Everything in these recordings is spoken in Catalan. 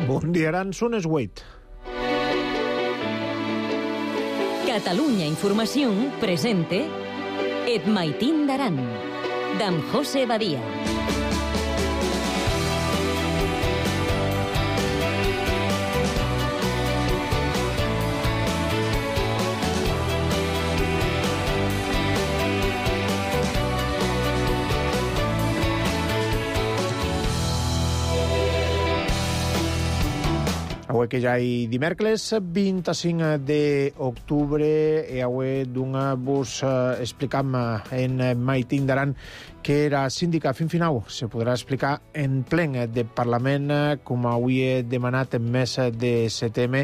Bon dia, Aran, són les 8. Catalunya Información presente Et Maitín d'Aran, d'en José Badia. Avui que ja hi dimecres 25 d'octubre i avui vos explicam en Maitín d'Aran que era síndica fin final se podrà explicar en plen de Parlament com avui he demanat en mes de setembre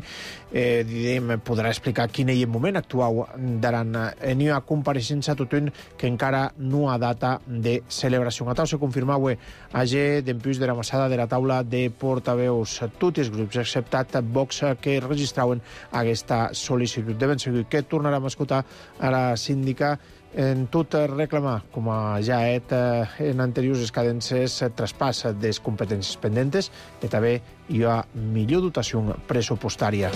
podrà explicar quin és el moment actual d'Aran. N'hi ha compareixença tothom que encara no ha data de celebració. A tal se confirma avui age d'empús de la massada de la taula de portaveus tots els grups exceptat Vox que registraven aquesta sol·licitud. De ben segur que tornarem a escoltar a la síndica en tot reclamar, com ja en anteriors cadences, traspàs de les competències pendentes i també hi ha millor dotació pressupostària.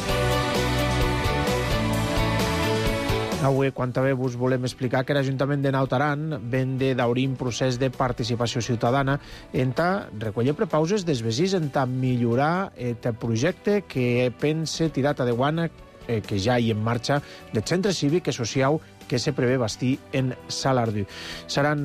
Avui, quan també vos volem explicar que l'Ajuntament de Naut Aran ven d'obrir un procés de participació ciutadana en recollir prepauses dels veïns en millorar el projecte que pense tirat endavant que ja hi en marxa del centre cívic i social que se prevé bastir en Salardú. Seran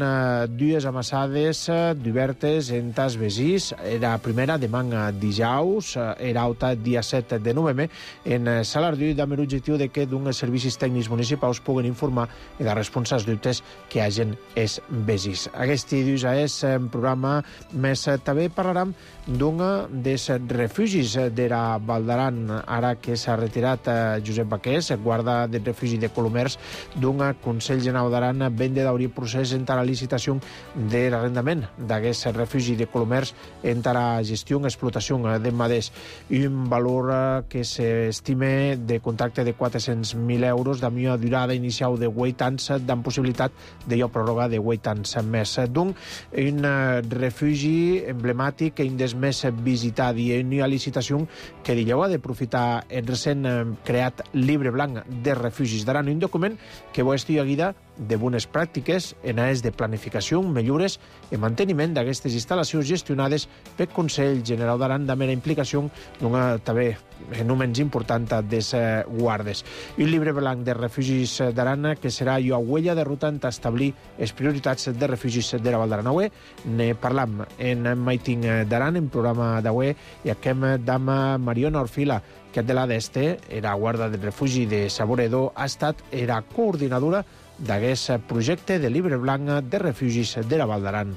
dues amassades d'obertes en tas veïns. La primera demà dijous, era alta dia 7 de novembre, en Salardú, amb l'objectiu de que d'uns servicis tècnics municipals puguen informar i de respondre als dubtes que hagin els veïns. Aquest dius és un programa més. També parlarem d'un dels refugis de la Val d'Aran, ara que s'ha retirat Josep Baqués, guarda del refugi de Colomers, d'un Consell General d'Aran ven d'obrir procés entre la licitació de l'arrendament d'aquest refugi de Colomers entre la gestió i explotació de maders i un valor que s'estime de contracte de 400.000 euros de millor durada inicial de 8 anys amb possibilitat de pròrroga de 8 anys més. Un refugi emblemàtic i un dels més visitat i una licitació que dijau ha d'aprofitar el recent creat llibre blanc de refugis d'Aran, un document que va estar guida de bones pràctiques en àrees de planificació, millores i manteniment d'aquestes instal·lacions gestionades pel Consell General d'Aran de mera implicació d'una també no menys important dels guardes. I un llibre blanc de refugis d'Aran que serà la huella de ruta en establir les prioritats de refugis de la Val d'Aran. Avui ne parlam en Maitín d'Aran, en programa d'avui, i aquem amb Mariona Orfila, que de la d'este, era guarda del refugi de Saboredo, ha estat la coordinadora d'aquest projecte de llibre blanc de refugis de la Val d'Aran.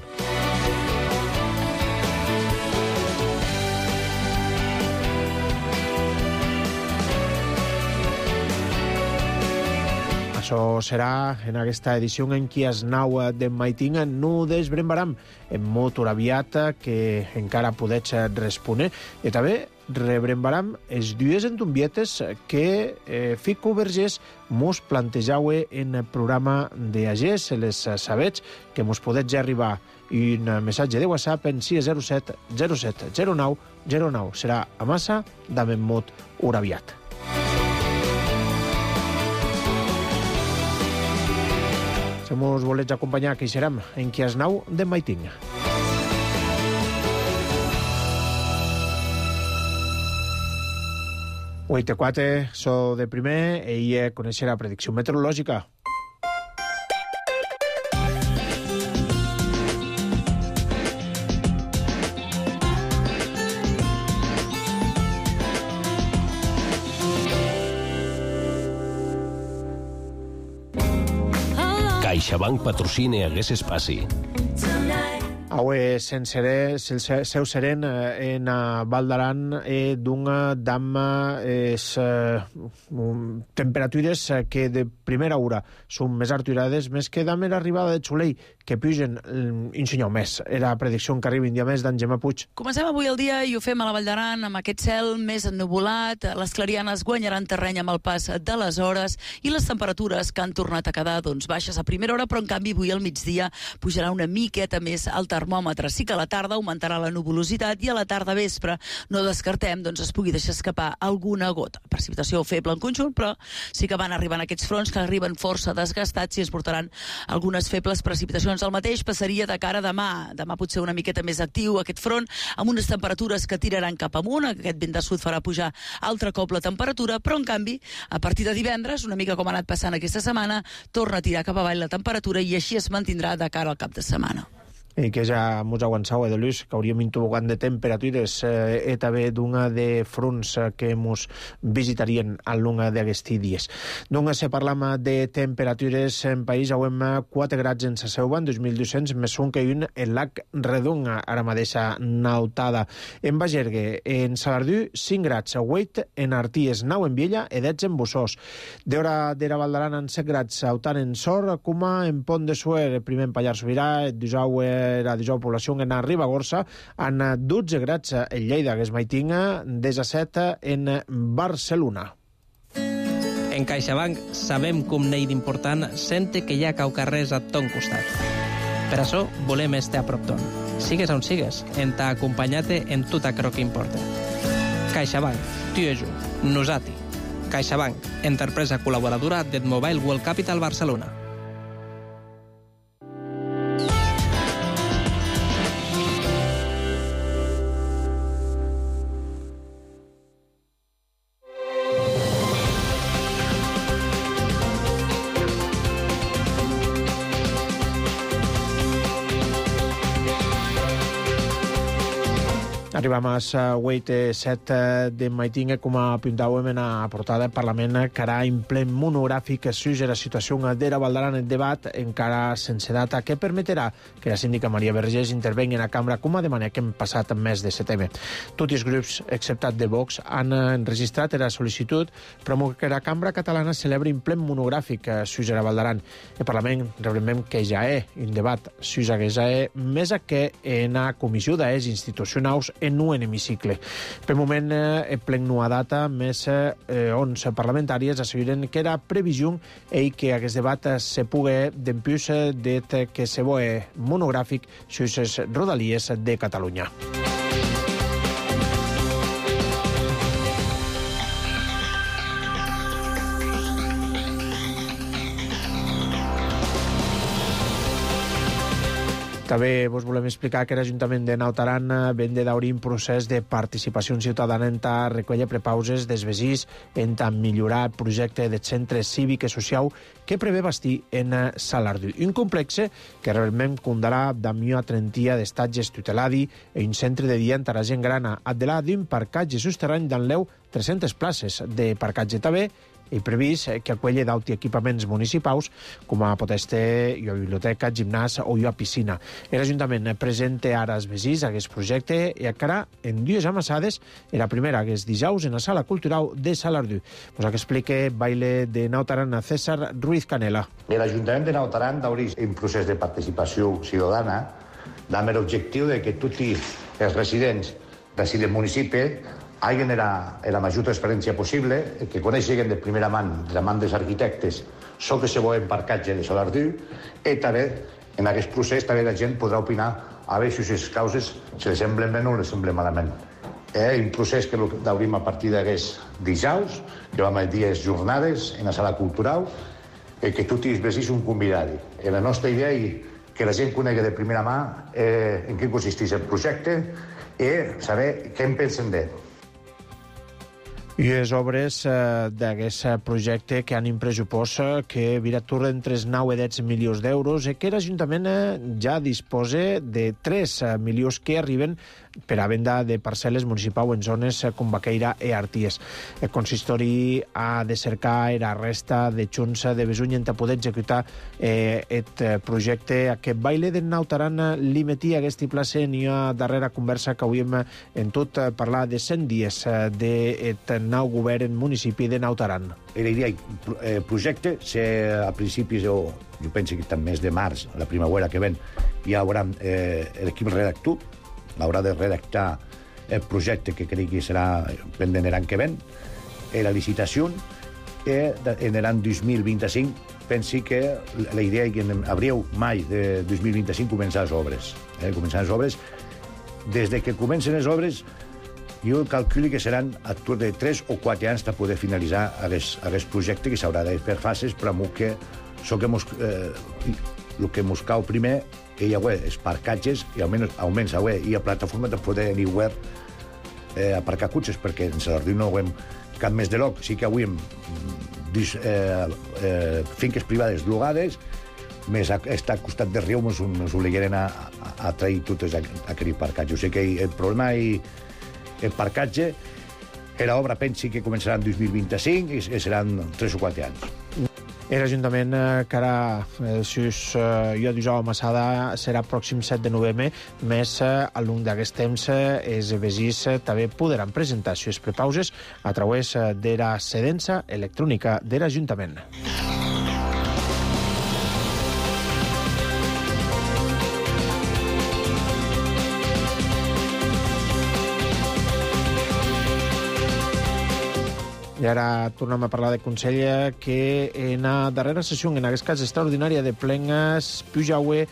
Això serà en aquesta edició en què es nau de Maitín no desbrembaram en molt aviat que encara podets respondre i també rebrembaram els dues entombietes que Fico Vergés mos plantejau en el programa d'Agés, les sabets que mos podets ja arribar un missatge de WhatsApp en 607 07 09 09. Serà a massa d'amem molt aviat. Si mos volets acompanyar, que hi serem en qui es nau de Maitín. Avui T4, so de primer, i conèixer la predicció meteorològica. CaixaBank patrocina aquest espai. Avui el seu seren en Val d'Aran d'una dama temperatures que de primera hora són més arturades, més que dame l'arribada de Xulei, que pugen un senyor més. Era predicció que arribi un dia més d'en Gemma Puig. Comencem avui el dia i ho fem a la Vall d'Aran amb aquest cel més ennuvolat. Les clarianes guanyaran terreny amb el pas de les hores i les temperatures que han tornat a quedar baixes a primera hora, però en canvi avui al migdia pujarà una miqueta més el termòmetre. Sí que a la tarda augmentarà la nuvolositat i a la tarda vespre no descartem es pugui deixar escapar alguna gota. Precipitació feble en conjunt, però sí que van arribant aquests fronts que arriben força desgastats i ens portaran algunes febles precipitacions. El mateix passaria de cara a demà. Demà pot ser una miqueta més actiu aquest front, amb unes temperatures que tiraran cap amunt. Aquest vent de sud farà pujar altre cop la temperatura, però en canvi, a partir de divendres, una mica com ha anat passant aquesta setmana, torna a tirar cap avall la temperatura i així es mantindrà de cara al cap de setmana. I que ja mos aguançau, de Lluís, que hauríem intubogant de temperatures i també d'una de fronts que mos visitarien a l'una d'aquests dies. Doncs, si parlam de temperatures en país, hauem 4 grads en Saseuva, en 2.200, més un que un en Lac Redonga, ara mateixa nautada. En Bagergue, en Salardú, 5 grads, 8 en Arties, 9 en Viella i 10 en Bussós. D'hora d'era Valdaran, en 7 grads, autant en Sor, Cuma, en Pont de Suer, primer en Pallars Sobirà, la població en Ribagorça, en 12 grads en Lleida, que es maitinga, 17 en Barcelona. En CaixaBank sabem com n'hi d'important sente que hi ha caucarrers a ton costat. Per això volem estar a prop ton. Sigues on sigues, en t'ha acompanyat en tot aquello que importa. CaixaBank, tu i jo, nosati. CaixaBank, empresa col·laboradora del Mobile World Capital Barcelona. Arribam a les 8:07 de maitinga, com apuntàvem en la portada del Parlament, que ara en ple monogràfic sobre la situació d'era Valdaran, el debat encara sense data, que permetrà que la síndica Maria Vergés intervengui en la cambra, com a demanat que hem passat el mes de setembre. Tots els grups, exceptat de Vox, han enregistrat la sol·licitud però que la cambra catalana celebri en ple monogràfic sobre la Valdaran. El Parlament reclamem que ja és un debat sobre que ja és més que en la comissió d'es institucionals en un hemicicle. Per moment, en plen nua data, més 11 parlamentàries asseguren que era previsió i que aquest debat se pugui d'empús det que se voe monogràfic sobre les rodalies de Catalunya. També vos volem explicar que l'Ajuntament de Naut Aran ven de d'obrir un procés de participació ciutadana en ta recollir prepauses dels veïns, en ta millorar el projecte de centre cívic i social que prevé bastir en Salardú. Un complex que realment comptarà amb una trentia d'estatges tuteladi i un centre de dia en la gent grana, addelà d'un parcatge sosterrany d'enleu 300 places de parcatge també i previst que acolli d'auti equipaments municipals com a poteste i a biblioteca, gimnàs o a piscina. L'Ajuntament presenta ara als veïns aquest projecte i encara en 2 amassades, la primera que és dijous en la Sala Cultural de Salardú. Pues que explique baile de Naut Aran a César Ruiz Canela. L'Ajuntament de Naut Aran d'obrir un procés de participació ciutadana amb l'objectiu de que tots els residents del municipi hagin la major transparència possible, que coneixen de primera mà, de la mà dels arquitectes, el que se vol en parcatge de Salardú, i també en aquest procés també la gent podrà opinar a veure si les causes se les semblen bé o les semblen malament. Un procés que l'obrim a partir d'aquests dijous, que vam a dies jornades en la Sala Cultural, que tots els veïns són convidats. La nostra idea és que la gent conegui de primera mà en què consisteix el projecte i saber què en pensen d'ell. I les obres d'aquest projecte que han un pressupost que viratura entre 9 i 10 milions d'euros i que l'Ajuntament ja disposa de 3 milions que arriben per a venda de parcel·les municipals en zones com Baqueira i Arties. El consistori ha de cercar la resta de junts de Besuny en poder executar aquest projecte. Aquest baile de Naut Aran li metia aquesta plaça en una darrera conversa que hauríem en tot parlar de 100 dies d'aquest nou govern en municipi de Naut Aran. La idea projecte, a principis, jo penso que també mes de març, la primavera que ven, hi haurà l'equip redactor, haurà de redactar el projecte que crec que serà pendent l'any que ven, la licitació, en l'any 2025, pensi que la idea és que en abril, mai de 2025 començar les obres. Començar les obres. Des que comencen les obres, jo calculo que seran a tour de 3 o 4 anys per poder finalitzar aquest projecte, que s'haurà de fer fases, però que el que ens cau primer hi ha els parcatges i almenys hi ha plataforma per poder anar a aparcar cotxes, perquè en Sadorní no hem cap més de lloc. Sí que avui hem finques privades llogades, més està al costat del riu, ens obliguen a trair totes aquell parcatge. O sigui que el problema és el parcatge. L'obra pensi que començarà en 2025 i seran 3 o 4 anys. L'Ajuntament que ara, si jo disau a Massada, serà pròxim 7 de novembre, més al llarg d'aquest temps els veïns també podran presentar les prepauses a través de la cedença electrònica de l'Ajuntament. I ara tornem a parlar de Consell, que en la darrera sessió, en aquest cas extraordinària de plenes, pujaue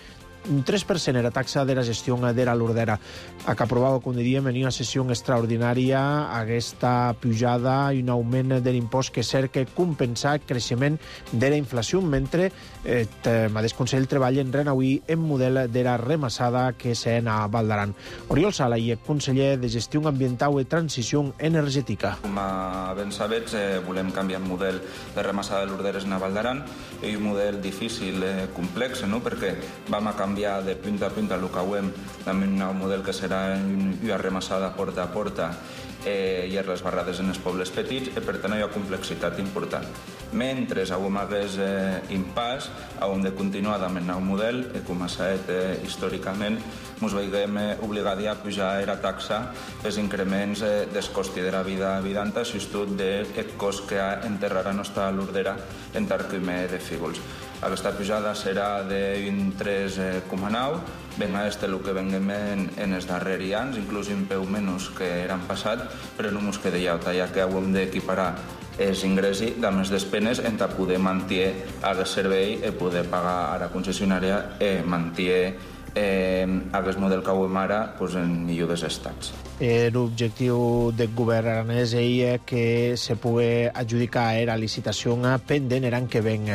un 3% era taxa de la gestió de la Lordera. Que aprovava, com diríem, en una sessió extraordinària aquesta pujada i un augment de l'impost que cerca compensar el creixement de la inflació, mentre el mateix Consell treballa en renauir en model de la remassada que s'en a Val d'Aran. Oriol Sala, i el conseller de Gestió Ambiental i Transició Energètica. Com ben sabets, volem canviar el model de remassada de l'Orderes en Val d'Aran. És un model difícil, complex, perquè vam a canviar de punta a punta el que ho hem amb un nou model que serà una remassada porta a porta i les barrades en els pobles petits, i per tant hi ha complexitat important. Mentre hem hagués impàs, hem de continuar amb el nou model, com ha estat històricament, ens veiem obligats a pujar la taxa pels increments del cost de la vida habitanta, substitut del cost que enterrar a nostra l'Ordera en Tarquime de Fígols. Aquesta pujada serà d'un 3,9, ben a el que venguem en els darrers anys, inclús un peu menys que l'any passat, però no ens queda ja que hem d'equiparar els ingressos amb les despeses en poder mantenir el servei i poder pagar a la concessionària i mantenir aquest model que hem ara en millor dels estats. L'objectiu del govern aranès és que se pugui adjudicar la licitació pendent l'any que ven.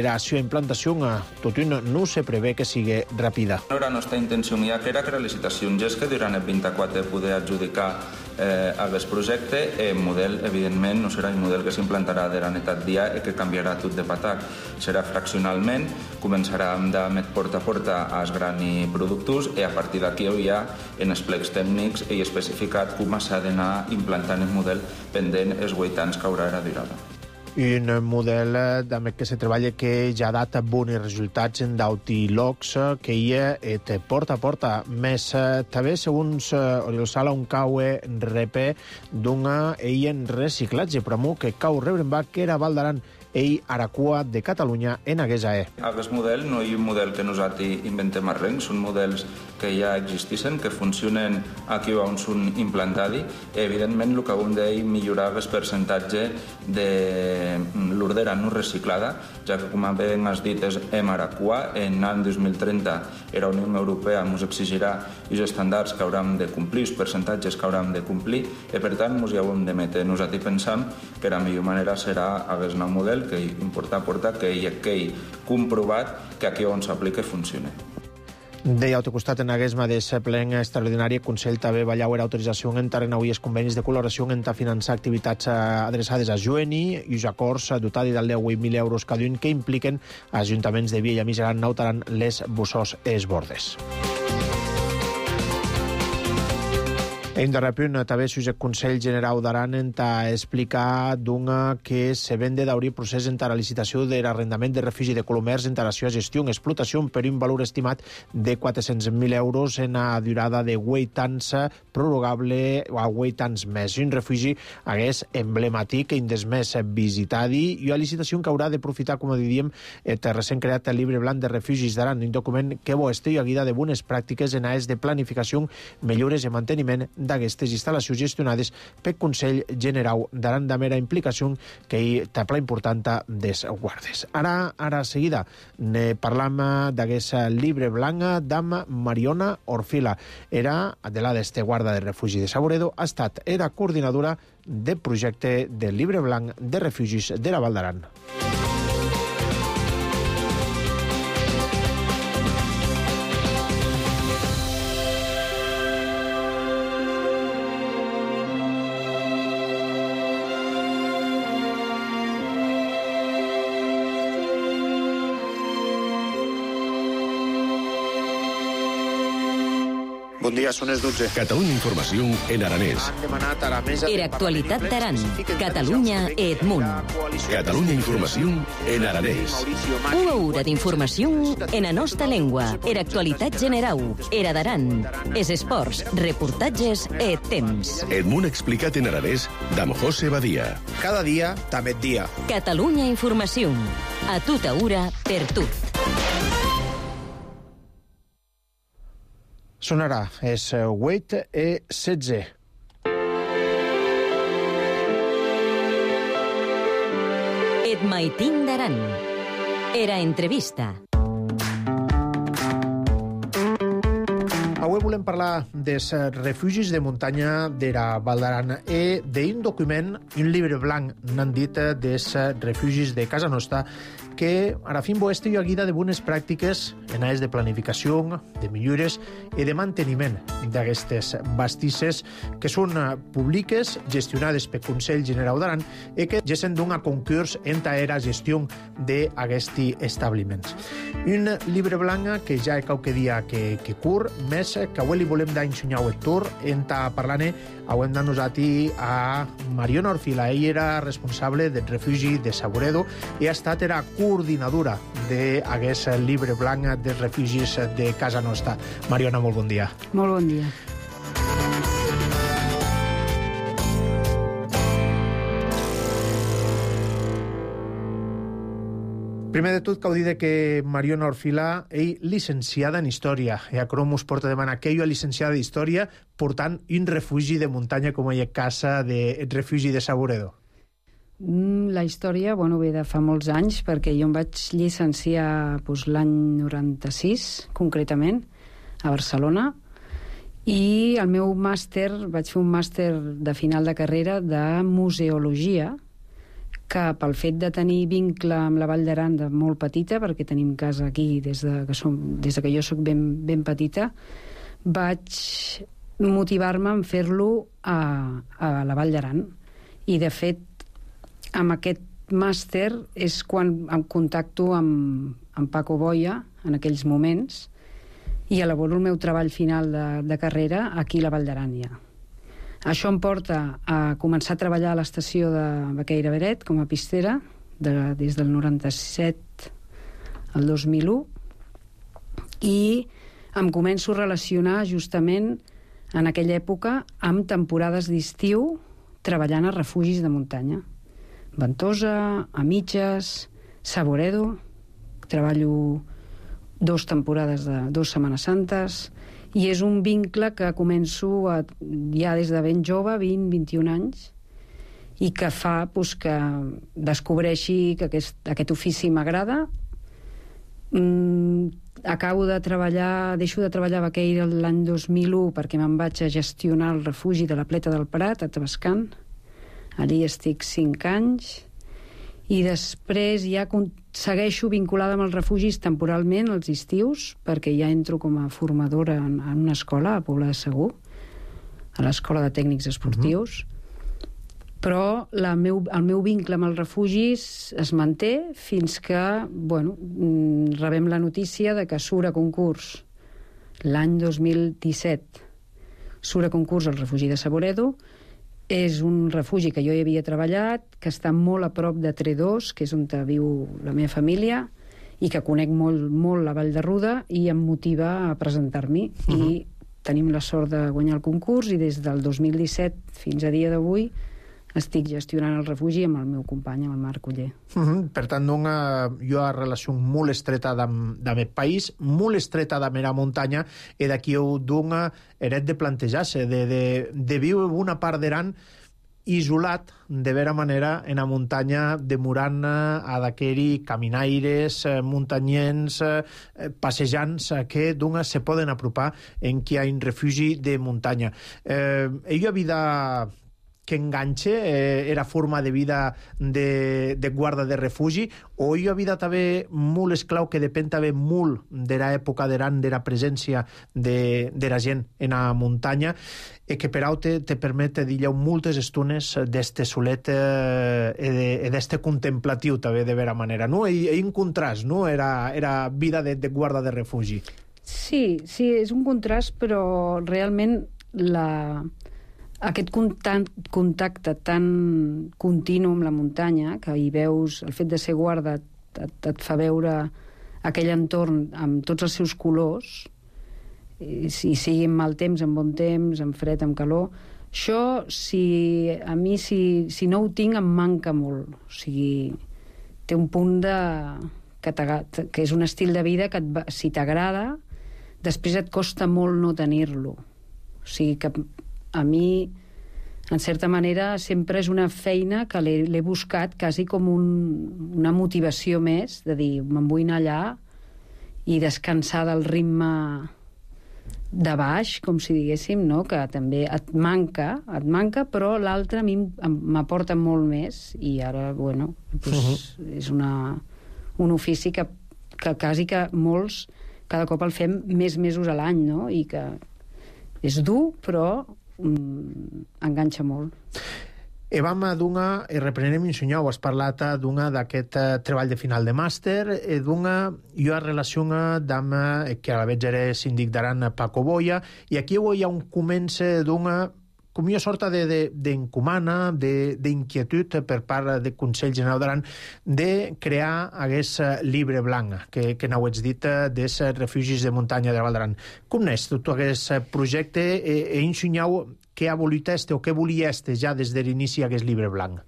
La seva implantació tot no se prevé que sigui ràpida. La nostra intenció ja que era que la licitació és que durant el 24 poder adjudicar aquest projecte. El model, evidentment, no serà el model que s'implantarà de la netat dia i que canviarà tot de patac. Serà fraccionalment, començarà amb porta a porta als grans productors i a partir d'aquí hi ha en els plecs tècnics i especificat com s'ha d'anar implantant el model pendent els 8 anys que haurà la durada. Un model també que se treballa que ja ha dat bons resultats en d'autilocs, que hi ha porta a porta. Més també, segons Oriol Sala, un cau repè d'una en reciclatge, però que cau rebrenbac que era Val d'Aran i Aracua de Catalunya en Aguesa. Aquest model no és un model que nosaltres inventem a res, són models que ja existeixen, que funcionen aquí on són implantats. Evidentment, el que hem de millorar és el percentatge de l'Ordera no reciclada, ja que, com ben has dit, és Aracua. En l'any 2030 la Unió Europea ens exigirà els estàndards que haurem de complir, els percentatges que haurem de complir, i per tant ens hi haurem de metre. Nosaltres pensam que la millor manera serà aquest nou model, que importa que hi ha comprovat que aquí on s'aplica funciona. Deia, al costat, en aquest mateix ple extraordinari, el Consell també va llaure autorització en avui els convenis de col·laboració en finançar activitats adreçades a Joeni i els acords dotats de 10.000 euros cada un que impliquen ajuntaments de Via i Miseran, Naut Aran, Les Bussós i Els Bordes. En darrer punt, també el Consell Generau d'Aran enta explicar d'un que se vende d'obrir procés entre la licitació de l'arrendament de refugi de Colomers entre la seva gestió en explotació per un valor estimat de 400.000 euros en la durada de 8 anys prorrogable a 8 anys més. Un refugi hagués emblemàtic i des més visitadi i a licitació que haurà d'aprofitar, com diríem, el recent creat el llibre blanc de refugis d'Aran, un document que bo estigui a guida de bones pràctiques en àrees de planificació, millores i manteniment d'aquestes instal·lacions gestionades pel Consell Generau d'Aran de mera implicació que hi té pla important des guardes. Ara seguida ne parlam d'aquest llibre blanc d'am Mariona Orfila. Era de la d'este guarda de refugi de Saboredo, ha estat era coordinadora del projecte del llibre blanc de refugis de la Val d'Aran. Bon dia, són les 12. Catalunya Informació en aranès. Era actualitat d'Aran. Catalunya et munt. Catalunya Informació en aranès. Una hora d'informació en la nostra llengua. Era actualitat generau. Era d'Aran. Es esports, reportatges et temps. El món explicat en aranès d'am José Badia. Cada dia, també dia. Catalunya Informació. A tota hora, per tu. Sonarà, és 8 i 16. Et maitin d'Aran. Era entrevista. Avui volem parlar dels refugis de muntanya de la Val d'Aran i d'un document, un llibre blanc, n'han dit, dels refugis de casa nostra, que ara fin bo estigui a guida de bones pràctiques en àrees de planificació, de millores i de manteniment d'aquestes bastisses que són públiques, gestionades pel Consell Generau d'Aran i que gessen d'un concurs entre la gestió d'aquests establiments. Un llibre blanc que ja qualque dia que curt, més que avui li volem d'ensenyar el tour enta parlant avui hem nosaltres a Mariona Orfila. Ella era responsable del refugi de Saboredo i ha estat era coordinadora d'aquest llibre blanc dels refugis de casa nostra. Mariona, molt bon dia. Molt bon dia. Primer de tot, cal dir que Mariona Orfila és llicenciada en Història. I a Crom us porta a demanar que ella és llicenciada en Història portant un refugi de muntanya com a casa del refugi de Saboredo. La història, ve de fa molts anys, perquè jo em vaig llicenciar l'any 96, concretament, a Barcelona, i el meu màster, vaig fer un màster de final de carrera de museologia, que pel fet de tenir vincle amb la Vall d'Aran de molt petita, perquè tenim casa aquí des que jo soc ben petita, vaig motivar-me en fer-lo a la Vall d'Aran. I, de fet, amb aquest màster és quan em contacto amb Paco Boya, en aquells moments, i elaboro el meu treball final de carrera aquí a la Vall d'Aran ja. Això em porta a començar a treballar a l'estació de Baqueira Beret com a pistera des del 97 al 2001 i em començo a relacionar justament en aquella època amb temporades d'estiu treballant a refugis de muntanya. Ventosa, a Mitges, Saboredo, treballo 2 temporades de 2 Setmanes Santes, i és un vincle que començo ja des de ben jove, 20-21 anys, i que fa que descobreixi que aquest ofici m'agrada. Acabo de treballar, deixo de treballar a Baqueira l'any 2001 perquè me'n vaig a gestionar el refugi de la Pleta del Prat, a Tavascan. Allí estic 5 anys, i després ja segueixo vinculada amb els refugis temporalment als estius, perquè ja entro com a formadora en una escola a Pobla de Segur, a l'Escola de Tècnics Esportius, però el meu vincle amb els refugis es manté fins que rebem la notícia de que surt a concurs l'any 2017 surt a concurs el refugi de Saboredo. És un refugi que jo hi havia treballat, que està molt a prop de Tredós, que és on viu la meva família, i que conec molt la Vall de Ruda, i em motiva a presentar-m'hi. I tenim la sort de guanyar el concurs, i des del 2017 fins a dia d'avui estic gestionant el refugi amb el meu company, amb el Marc Oller. Per tant, jo ha relació molt estreta amb el país, molt estreta amb la muntanya, i d'aquí heret de plantejar-se, de viure una part d'Aran isolat, de vera manera, en la muntanya, demorant a d'aquells caminaires, muntanyens, passejants, que se poden apropar en qui ha un refugi de muntanya. Ella vida que enganxe, era forma de vida de guarda de refugi, o hi ha vida també molt esclau que depèn també molt de l'època d'Aran, de la presència de la gent en la muntanya, i que per auto te permet dir moltes estones d'este solet i d'este contemplatiu també, de vera manera, no? I un contrast, no? Era vida de guarda de refugi. Sí, és un contrast, però realment aquest contacte tan continu amb la muntanya, que hi veus, el fet de ser guarda et fa veure aquell entorn amb tots els seus colors, i sigui en mal temps, en bon temps, en fred, en calor, això, si no ho tinc, em manca molt. O sigui, té un punt que és un estil de vida que si t'agrada, després et costa molt no tenir-lo. O sigui que a mi, en certa manera, sempre és una feina que l'he buscat quasi com una motivació més, de dir, me'n vull anar allà i descansar del ritme de baix, com si diguéssim, no? Que també et manca, però l'altre a mi m'aporta molt més, i ara, bueno, és un ofici que quasi que molts cada cop el fem més mesos a l'any, no? I que és dur, però enganxa molt. Vam reprenem Insunyau, has parlat d'aquest treball de final de màster, jo relaciona amb que a la vegada era síndic d'Aran Paco Boya, i aquí hi ha un comença com una sorta d'encomana, d'inquietud per part del Consell General d'Aran de crear aquest llibre blanc, que n'heu dit, dels refugis de muntanya de la Val d'Aran. Com n'és tot aquest projecte, i Insunyau, què ha volit o què volia ja des de l'inici aquest llibre blanc?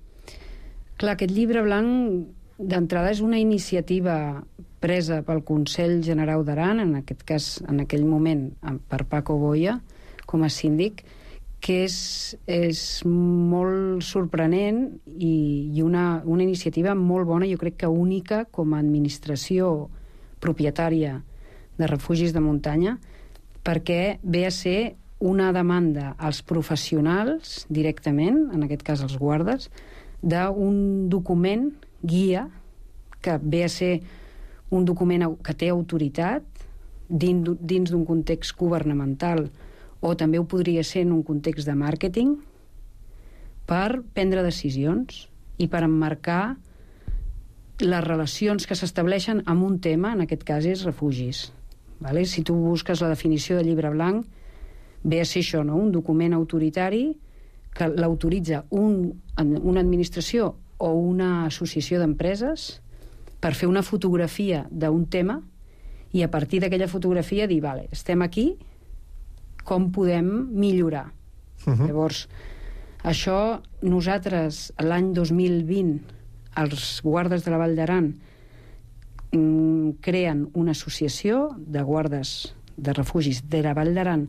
Clar, aquest llibre blanc d'entrada és una iniciativa presa pel Consell General d'Aran, en aquest cas, en aquell moment, per Paco Boya, com a síndic, que és molt sorprenent i una iniciativa molt bona, jo crec que única com a administració propietària de refugis de muntanya, perquè ve a ser una demanda als professionals directament, en aquest cas als guardes, d'un document guia que ve a ser un document que té autoritat dins d'un context governamental, o també ho podria ser en un context de màrqueting, per prendre decisions i per emmarcar les relacions que s'estableixen amb un tema, en aquest cas és refugis. Si tu busques la definició de llibre blanc, ve a ser això, un document autoritari que l'autoritza una administració o una associació d'empreses per fer una fotografia d'un tema i a partir d'aquella fotografia dir, vale, estem aquí, com podem millorar. Llavors, això nosaltres l'any 2020 els guardes de la Vall d'Aran creen una associació de guardes de refugis de la Vall d'Aran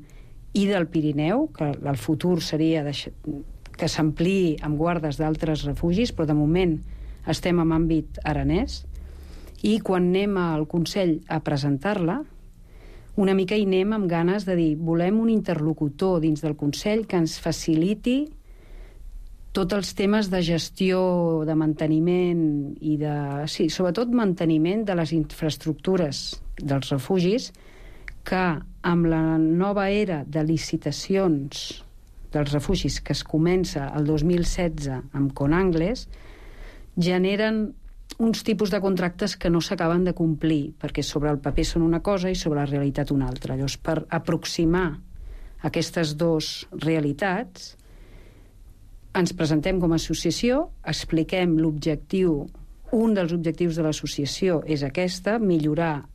i del Pirineu, que el futur seria que s'ampliï amb guardes d'altres refugis, però de moment estem en àmbit aranès, i quan anem al Consell a presentar-la, una mica hi anem amb ganes de dir, volem un interlocutor dins del Consell que ens faciliti tots els temes de gestió, de manteniment i sobretot manteniment de les infraestructures dels refugis, que amb la nova era de licitacions dels refugis que es comença el 2016 amb Conangles, generen uns tipus de contractes que no s'acaben de complir, perquè sobre el paper són una cosa i sobre la realitat una altra. Llavors, per aproximar aquestes dues realitats, ens presentem com a associació, expliquem l'objectiu, un dels objectius de l'associació és aquesta, millorar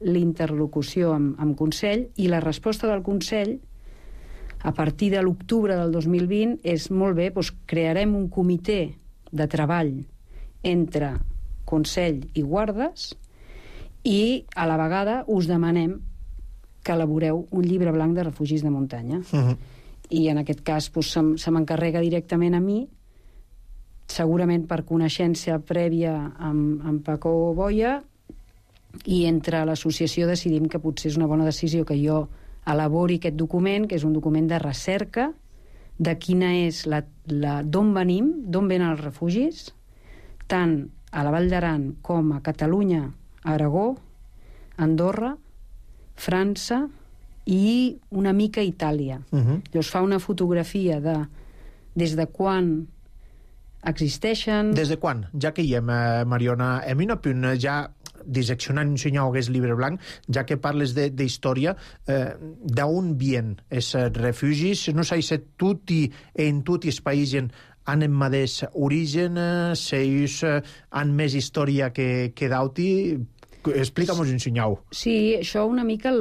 l'interlocució amb Consell, i la resposta del Consell, a partir de l'octubre del 2020, és molt bé, doncs crearem un comitè de treball entre Consell i Guardes i a la vegada us demanem que elaboreu un llibre blanc de refugis de muntanya. I en aquest cas se m'encarrega directament a mi, segurament per coneixença prèvia amb Paco Boya, i entre l'associació decidim que potser és una bona decisió que jo elabori aquest document, que és un document de recerca de quina és d'on venim, d'on venen els refugis, tant a la Vall d'Aran com a Catalunya, Aragó, Andorra, França i una mica Itàlia. Llavors fa una fotografia de des de quan existeixen... Des de quan? Ja que hi hem, Mariona, hem un punt ja disseccionant un senyor hagués llibre blanc, ja que parles d'història, d'on vien els refugis? No sé si en tots els països han el mateix origen, si ells han més història que d'auti. Explica'm-ho un senyor. Sí, això una mica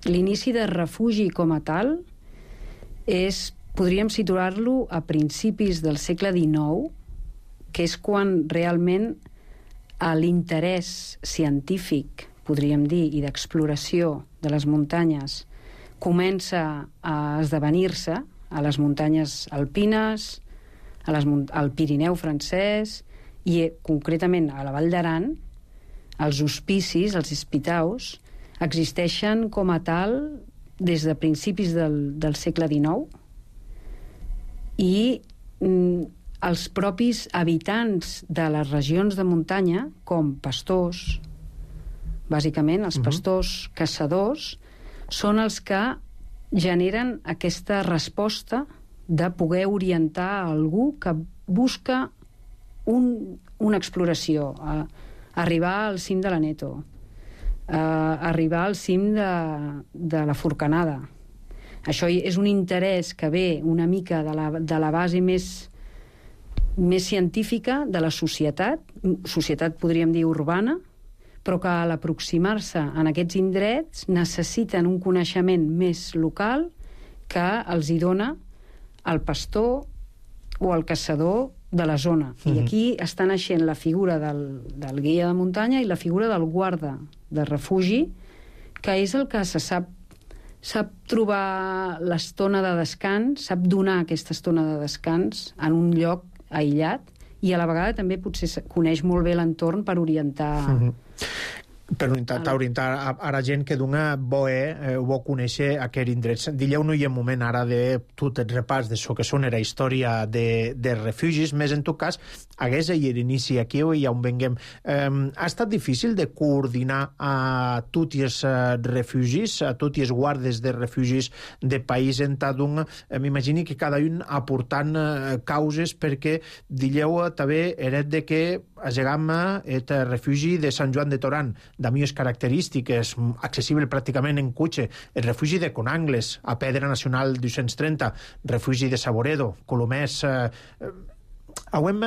l'inici de refugi com a tal podríem situar-lo a principis del segle XIX, que és quan realment l'interès científic, podríem dir, i d'exploració de les muntanyes comença a esdevenir-se a les muntanyes alpines, al Pirineu francès i concretament a la Vall d'Aran. Els hospicis, els hospitaus, existeixen com a tal des de principis del segle XIX i els propis habitants de les regions de muntanya, com pastors, bàsicament els pastors caçadors, són els que generen aquesta resposta de poder orientar a algú que busca una exploració, arribar al cim de l'Aneto, arribar al cim de la Forcanada. Això és un interès que ve una mica de la base més científica de la societat podríem dir urbana, però que a l'aproximar-se en aquests indrets necessiten un coneixement més local que els hi dona el pastor o el caçador de la zona. I aquí està naixent la figura del guia de muntanya i la figura del guarda de refugi, que és el que se sap trobar l'estona de descans, sap donar aquesta estona de descans en un lloc aïllat i a la vegada també potser coneix molt bé l'entorn per orientar... Per orientar a la gent que dona bo conèixer aquest indret. Dilleu-nos un moment ara de tot el repàs de que són la història de refugis, més en tot cas, hagués a l'inici aquí i on venguem. Ha estat difícil de coordinar a tots els refugis, a tots els guardes de refugis de país en tant m'imagini que cada un aportant causes perquè dilleu també eret de que llegam el refugi de Sant Joan de Torán, de millors característiques, accessible pràcticament en cotxe, el refugi de Conangles, a Pedra Nacional 230, refugi de Saboredo, Colomers... Hauem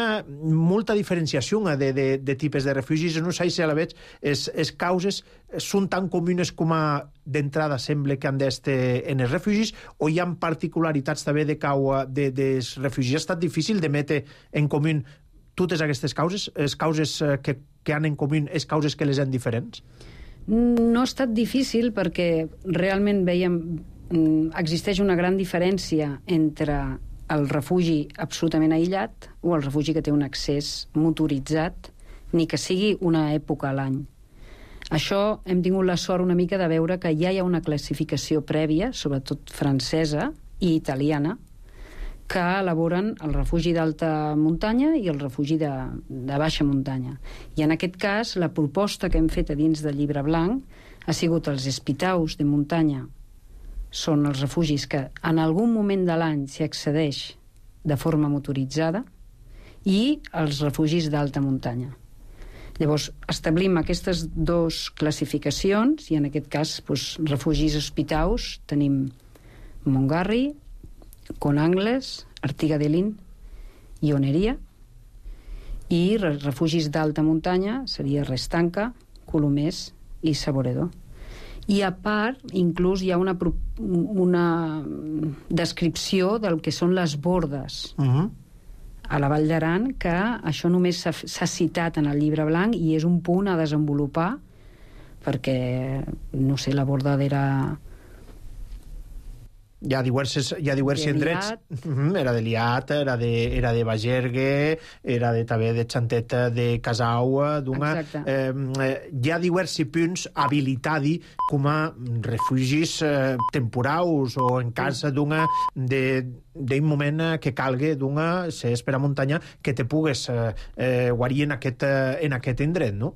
molta diferenciació de tipus de refugis, no sé si a la vegada les causes són tan comunes com d'entrada sembla que han d'estar en els refugis, o hi ha particularitats també dels refugis? Ha estat difícil de metre en comú totes aquestes causes, les causes que han en comú, les causes que les han diferents? No ha estat difícil perquè realment veiem existeix una gran diferència entre el refugi absolutament aïllat o el refugi que té un accés motoritzat, ni que sigui una època a l'any. Això hem tingut la sort una mica de veure que ja hi ha una classificació prèvia, sobretot francesa i italiana, que elaboren el refugi d'alta muntanya i el refugi de baixa muntanya. I en aquest cas, la proposta que hem fet a dins del llibre blanc ha sigut els hospitaus de muntanya. Són els refugis que en algun moment de l'any s'hi accedeix de forma motoritzada, i els refugis d'alta muntanya. Llavors, establim aquestes dues classificacions, i en aquest cas, refugis hospitaus, tenim Montgarri, Conangles, Artiga de Lin i Oneria, i refugis d'alta muntanya seria Restanca, Colomers i Saboredor. I a part, inclús hi ha una descripció del que són les bordes a la Vall d'Aran, que això només s'ha citat en el llibre blanc i és un punt a desenvolupar, perquè, no sé, la borda era... Hi ha diversos indrets. Era de Liat, era de Bagergue, era també de Xantet de Casau. Hi ha diversos punts habilitadi com a refugis temporaus o en cas d'un moment que calgui ser per a muntanya que te pugues guarir en aquest indret, no?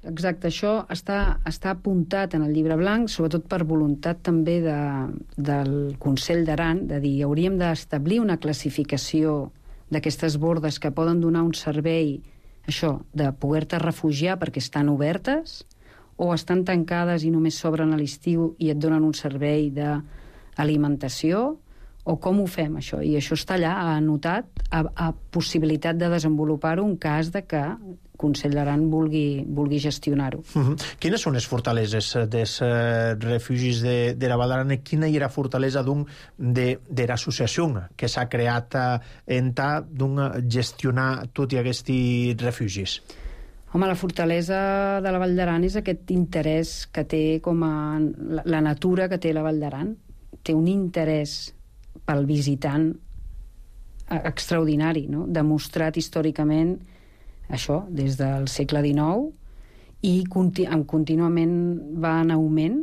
Exacte, això està apuntat en el llibre blanc, sobretot per voluntat també del Consell d'Aran, de dir, hauríem d'establir una classificació d'aquestes bordes que poden donar un servei, això, de poder-te refugiar perquè estan obertes, o estan tancades i només s'obren a l'estiu i et donen un servei d'alimentació, o com ho fem, això? I això està allà anotat a possibilitat de desenvolupar-ho en cas de que Consell d'Aran vulgui gestionar-ho. Quines són les fortaleses dels refugis de la Val d'Aran i quina era la fortalesa de l'associació que s'ha creat en gestionar tots aquests refugis? Home, la fortalesa de la Val d'Aran és aquest interès que té com a la natura que té la Val d'Aran. Té un interès pel visitant extraordinari, no? Demostrat històricament això, des del segle XIX, i contínuament va en augment,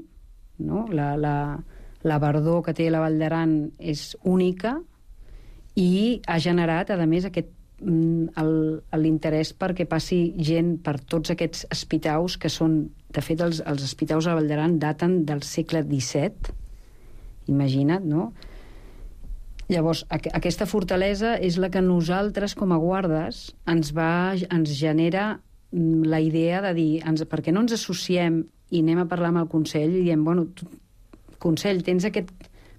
no? La verdor que té la Val d'Aran és única i ha generat, a més, l'interès perquè passi gent per tots aquests espitaus que són... De fet, els espitaus a la Val d'Aran daten del segle XVII, imagina't, no? Llavors, aquesta fortalesa és la que nosaltres, com a guardes, ens genera la idea de dir, per què no ens associem i anem a parlar amb el Consell i diem, bueno, Consell, tens aquest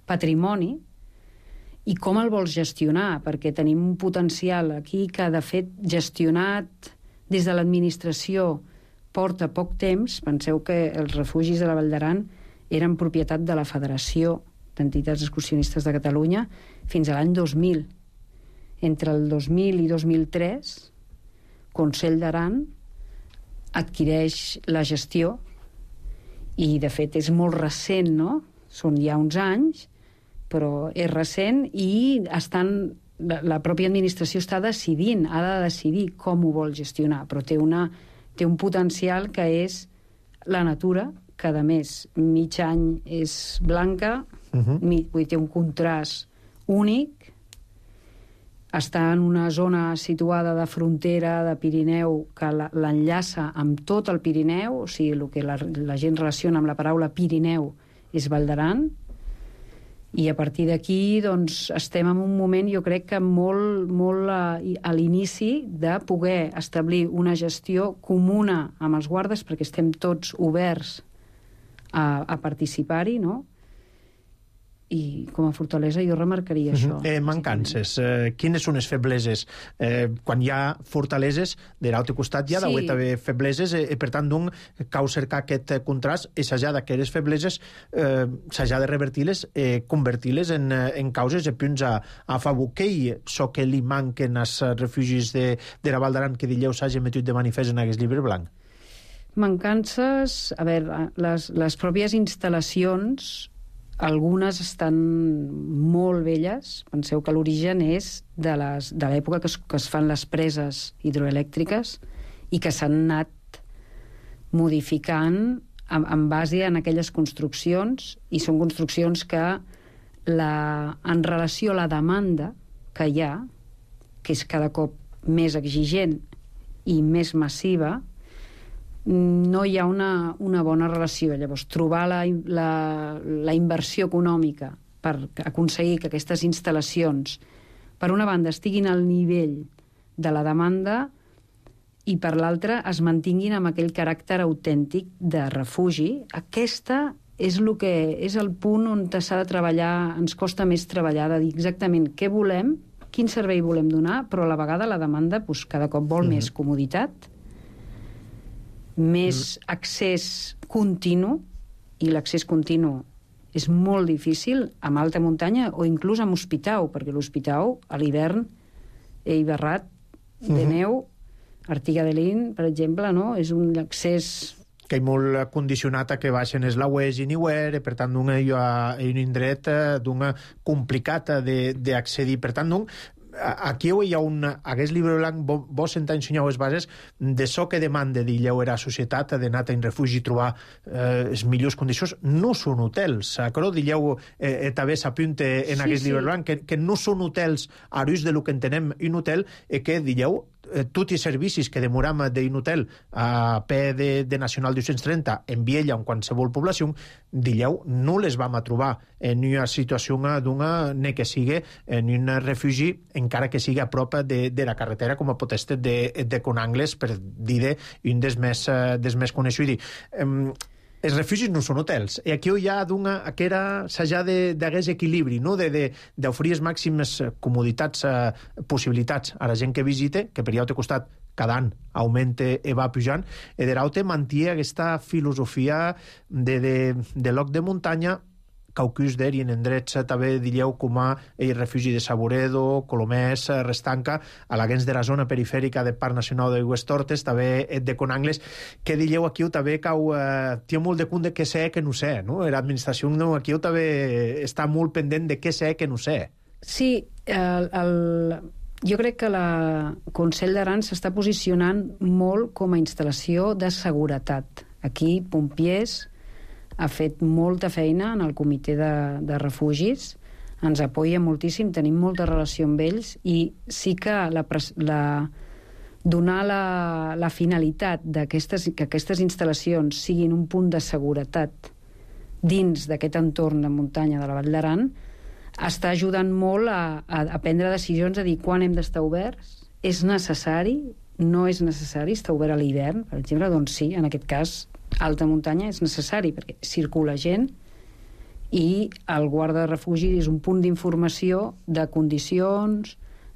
patrimoni i com el vols gestionar? Perquè tenim un potencial aquí que, de fet, gestionat des de l'administració porta poc temps. Penseu que els refugis de la Val d'Aran eren propietat de la Federació d'Entitats Excursionistes de Catalunya fins a l'any 2000. Entre el 2000 i 2003, Consell d'Aran adquireix la gestió i, de fet, és molt recent, no? Són ja uns anys, però és recent i la pròpia administració està decidint, ha de decidir com ho vol gestionar, però té un potencial que és la natura, que, a més, mig any és blanca, té un contrast únic, està en una zona situada de frontera de Pirineu que l'enllaça amb tot el Pirineu, o sigui, el que la gent relaciona amb la paraula Pirineu és Val d'Aran, i a partir d'aquí doncs, estem en un moment, jo crec que molt a l'inici de poder establir una gestió comuna amb els guardes, perquè estem tots oberts a participar-hi, no? I com a fortalesa jo remarcaria això. Mancances. Quines són les febleses? Quan hi ha fortaleses, de l'altre costat hi ha d'haver febleses, i per tant, cal cercar aquest contrast, i s'ha d'aquestes febleses s'ha de revertir-les, convertir-les en causes i punts a favor. Què és el que li manquen als refugis de la Val d'Aran que dileu s'hagi metut de manifest en aquest llibre blanc? Mancances, a veure, les pròpies instal·lacions, algunes estan molt velles. Penseu que l'origen és de l'època que es fan les preses hidroelèctriques i que s'han anat modificant en base en aquelles construccions, i són construccions que en relació a la demanda que hi ha, que és cada cop més exigent i més massiva, no hi ha una bona relació. Llavors, trobar la inversió econòmica per aconseguir que aquestes instal·lacions, per una banda, estiguin al nivell de la demanda, i per l'altra es mantinguin amb aquell caràcter autèntic de refugi. Aquesta és el punt on s'ha de treballar, ens costa més treballar, de dir exactament què volem, quin servei volem donar, però a la vegada la demanda cada cop vol més comoditat, més accés continu, i l'accés continu és molt difícil amb alta muntanya o inclús amb Hospitau, perquè l'Hospitau a l'hivern, Eiberrat, de neu, Artiga de Lin, per exemple, no? És un accés que hi molt condicionat a que baixen és la UES i Niuer, per tant, un indret complicat d'accedir. Per tant, aquí hi ha aquest llibre blanc, vos ensenyeu les bases de so que demanda d'illeu era societat d'anar en refugi i trobar les millors condicions. No són hotels, però d'illeu també s'apunta en aquest llibre blanc que no són hotels a l'ús de lo que entenem un hotel, que d'illeu tots els servicis que demoram d'un hotel a peu de Nacional 230 en Viella o en qualsevol població, d'illeu no les vam a trobar en una situació ni que sigui en un refugi, encara que sigui a prop de la carretera, com a pot estar de Conangles, per dir un dels més coneguts. Els refugis no són hotels, i aquí hi ha que s'ha d'hagués equilibri, no? D'oferir les màximes comoditats, possibilitats a la gent que visite, que per allà té costat cada any augmenta i va pujant, i de l'altre manté aquesta filosofia de lloc de muntanya, Caucus d'er i en endrets també diríeu com a el refugi de Saboredo, Colomers, Restanca, a la gens de la zona perifèrica del Parc Nacional de Huestortes, també de Conangles, que diríeu aquí també cau té molt de compte de què sé que no sé, no? L'administració aquí també està molt pendent de què sé que no sé. Sí, jo crec que el Consell d'Aran s'està posicionant molt com a instal·lació de seguretat. Aquí, Pompiers ha fet molta feina en el comitè de refugis, ens apoya moltíssim, tenim molta relació amb ells, i sí que donar la finalitat que aquestes instal·lacions siguin un punt de seguretat dins d'aquest entorn de muntanya de la Vall d'Aran està ajudant molt a prendre decisions, a dir quan hem d'estar oberts, és necessari, no és necessari estar obert a l'hivern, per exemple, doncs sí, en aquest cas alta muntanya és necessari perquè circula gent i el guarda de refugi és un punt d'informació de condicions,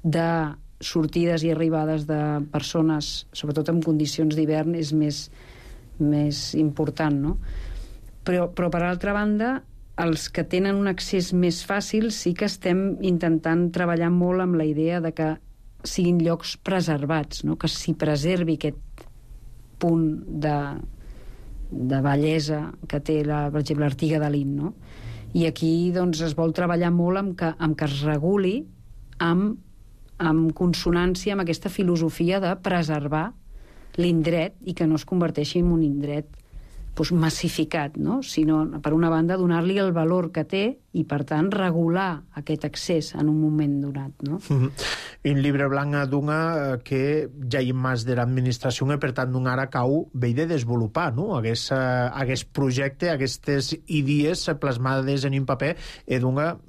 de sortides i arribades de persones, sobretot en condicions d'hivern, és més important, no? Però per altra banda, els que tenen un accés més fàcil sí que estem intentant treballar molt amb la idea de que siguin llocs preservats, no? Que s'hi preservi aquest punt de bellesa que té, per exemple, l'Artiga de Lin, no? I aquí doncs, es vol treballar molt amb que es reguli amb consonància amb aquesta filosofia de preservar l'indret i que no es converteixi en un indret massificat, no? Sinó, per una banda, donar-li el valor que té i, per tant, regular aquest accés en un moment donat, no? Un llibre blanc que ja hi ha més de l'administració i, per tant, ara cau bé de desenvolupar, no? Aquest projecte, aquestes idees plasmades en un paper,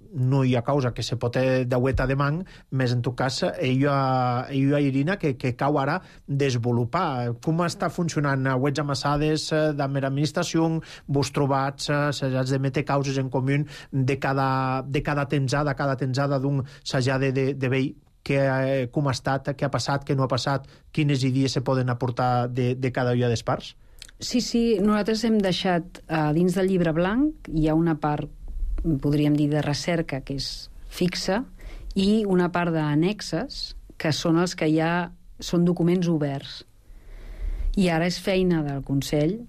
no hi ha causa que se pot daueta de man, més en tot cas hi ha Irina que cau ara desenvolupar. Com està funcionant? Wets amassades amb l'administració, vos trobats, s'has de metre causes en comú de cada tensada d'un s'hagi de veure com ha estat, què ha passat, què no ha passat, quines idees se poden aportar de cada una de les parts? Sí, nosaltres hem deixat dins del llibre blanc, hi ha una part, podríem dir, de recerca que és fixa i una part d'annexes que són els que ja són documents oberts. I ara és feina del Consell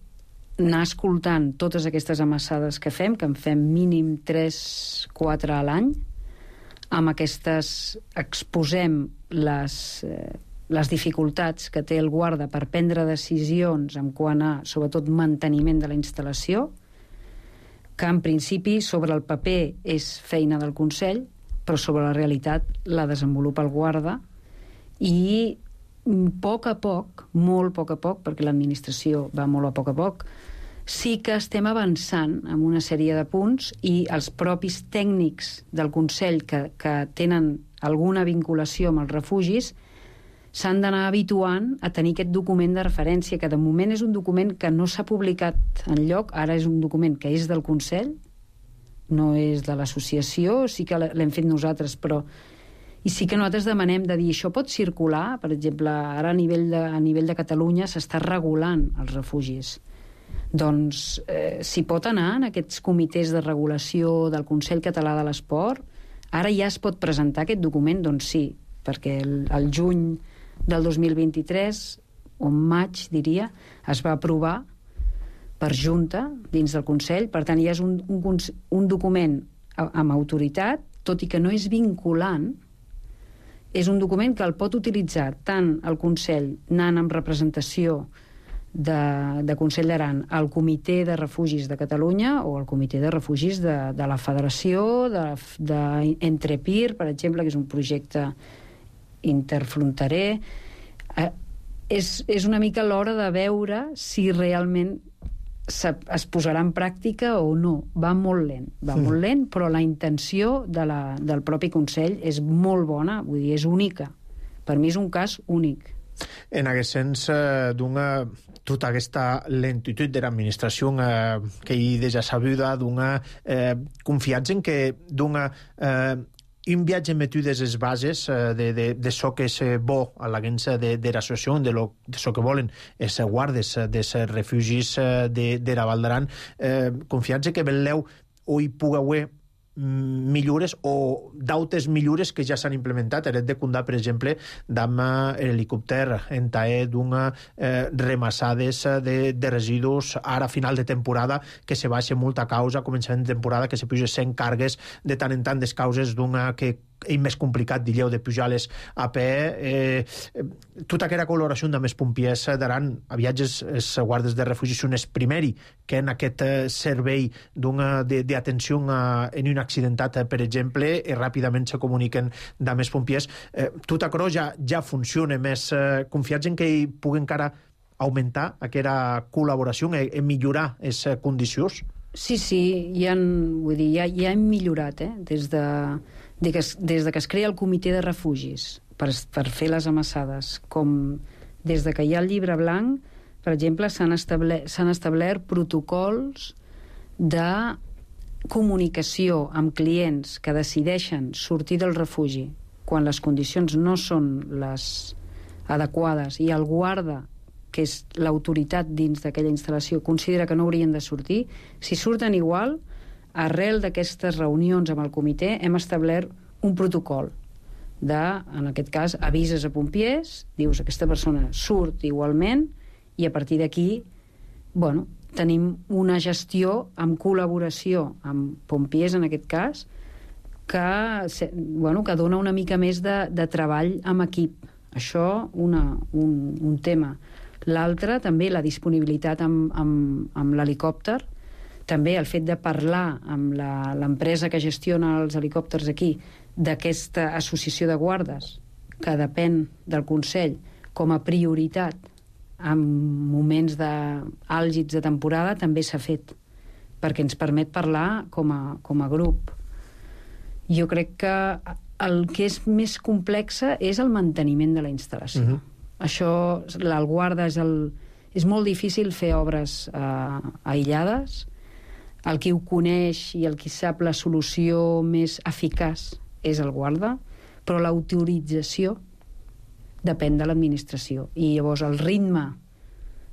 anar escoltant totes aquestes amassades que en fem mínim 3-4 a l'any. Amb aquestes exposem les dificultats que té el guarda per prendre decisions en quant a, sobretot, manteniment de la instal·lació, que en principi sobre el paper és feina del Consell, però sobre la realitat la desenvolupa el guarda, i a poc a poc, molt a poc, perquè l'administració va molt a poc, sí que estem avançant en una sèrie de punts, i els propis tècnics del Consell que tenen alguna vinculació amb els refugis s'han d'anar habituant a tenir aquest document de referència, que de moment és un document que no s'ha publicat enlloc, ara és un document que és del Consell, no és de l'associació, sí que l'hem fet nosaltres, però... I sí que nosaltres demanem de dir, això pot circular, per exemple, ara a nivell de Catalunya s'està regulant els refugis. Doncs s'hi pot anar en aquests comitès de regulació del Consell Català de l'Esport, ara ja es pot presentar aquest document, doncs sí, perquè el juny del 2023, o maig, diria, es va aprovar per junta dins del Consell, per tant ja és un document amb autoritat, tot i que no és vinculant, és un document que el pot utilitzar tant el Consell anant amb representació de Consell d'Aran al Comitè de Refugis de Catalunya o al Comitè de Refugis de la Federació d'Entrepir, per exemple, que és un projecte interfronterer. És una mica l'hora de veure si realment es posarà en pràctica o no. Va molt lent, però la intenció del propi Consell és molt bona, vull dir, és única. Per mi és un cas únic. En aquest sens, tota aquesta lentitud de l'administració que hi deja sabuda, confiats en que un viatge metudes les bases de so que és bo a l'agència de l'associació, de so que volen els guardes dels refugis de la Val d'Aran, confiats en que veleu o hi pugui haver millores o d'altres millores que ja s'han implementat. Hem de comptar, per exemple, amb l'helicòpter en taer d'una remassades de residus ara a final de temporada, que se baixa molta causa, començament de temporada, que se puja 100 cargues de tant en tant des causes d'una que és més complicat, digueu, de pujar-les a peu. Tota aquella col·laboració amb els pompiers d'Aran a viatges, els guardes de refugi són els primers que en aquest servei d'atenció en un accidentat, per exemple, i ràpidament se comuniquen amb els pompiers. Tot això ja funciona, més confiats en que hi pugui encara augmentar aquesta col·laboració i millorar les condicions? Sí, ja hem millorat, des de que es crea el comitè de refugis per fer les amassades, com des de que hi ha el llibre blanc, per exemple, s'han establert protocols de comunicació amb clients que decideixen sortir del refugi quan les condicions no són les adequades i el guarda, que és l'autoritat dins d'aquella instal·lació, considera que no haurien de sortir. Si surten igual, arrel d'aquestes reunions amb el comitè hem establert un protocol en aquest cas, avises a pompiers, dius aquesta persona surt igualment i a partir d'aquí tenim una gestió amb col·laboració amb pompiers, en aquest cas, que dona una mica més de treball amb equip. Això, un tema. L'altre, també, la disponibilitat amb l'helicòpter, també el fet de parlar amb l'empresa que gestiona els helicòpters aquí, d'aquesta associació de guardes, que depèn del Consell, com a prioritat en moments àlgids de temporada, també s'ha fet, perquè ens permet parlar com a grup. Jo crec que el que és més complexa és el manteniment de la instal·lació. Això, el guarda és molt difícil fer obres aïllades. El qui ho coneix i el qui sap la solució més eficaç és el guarda, però l'autorització depèn de l'administració. I llavors el ritme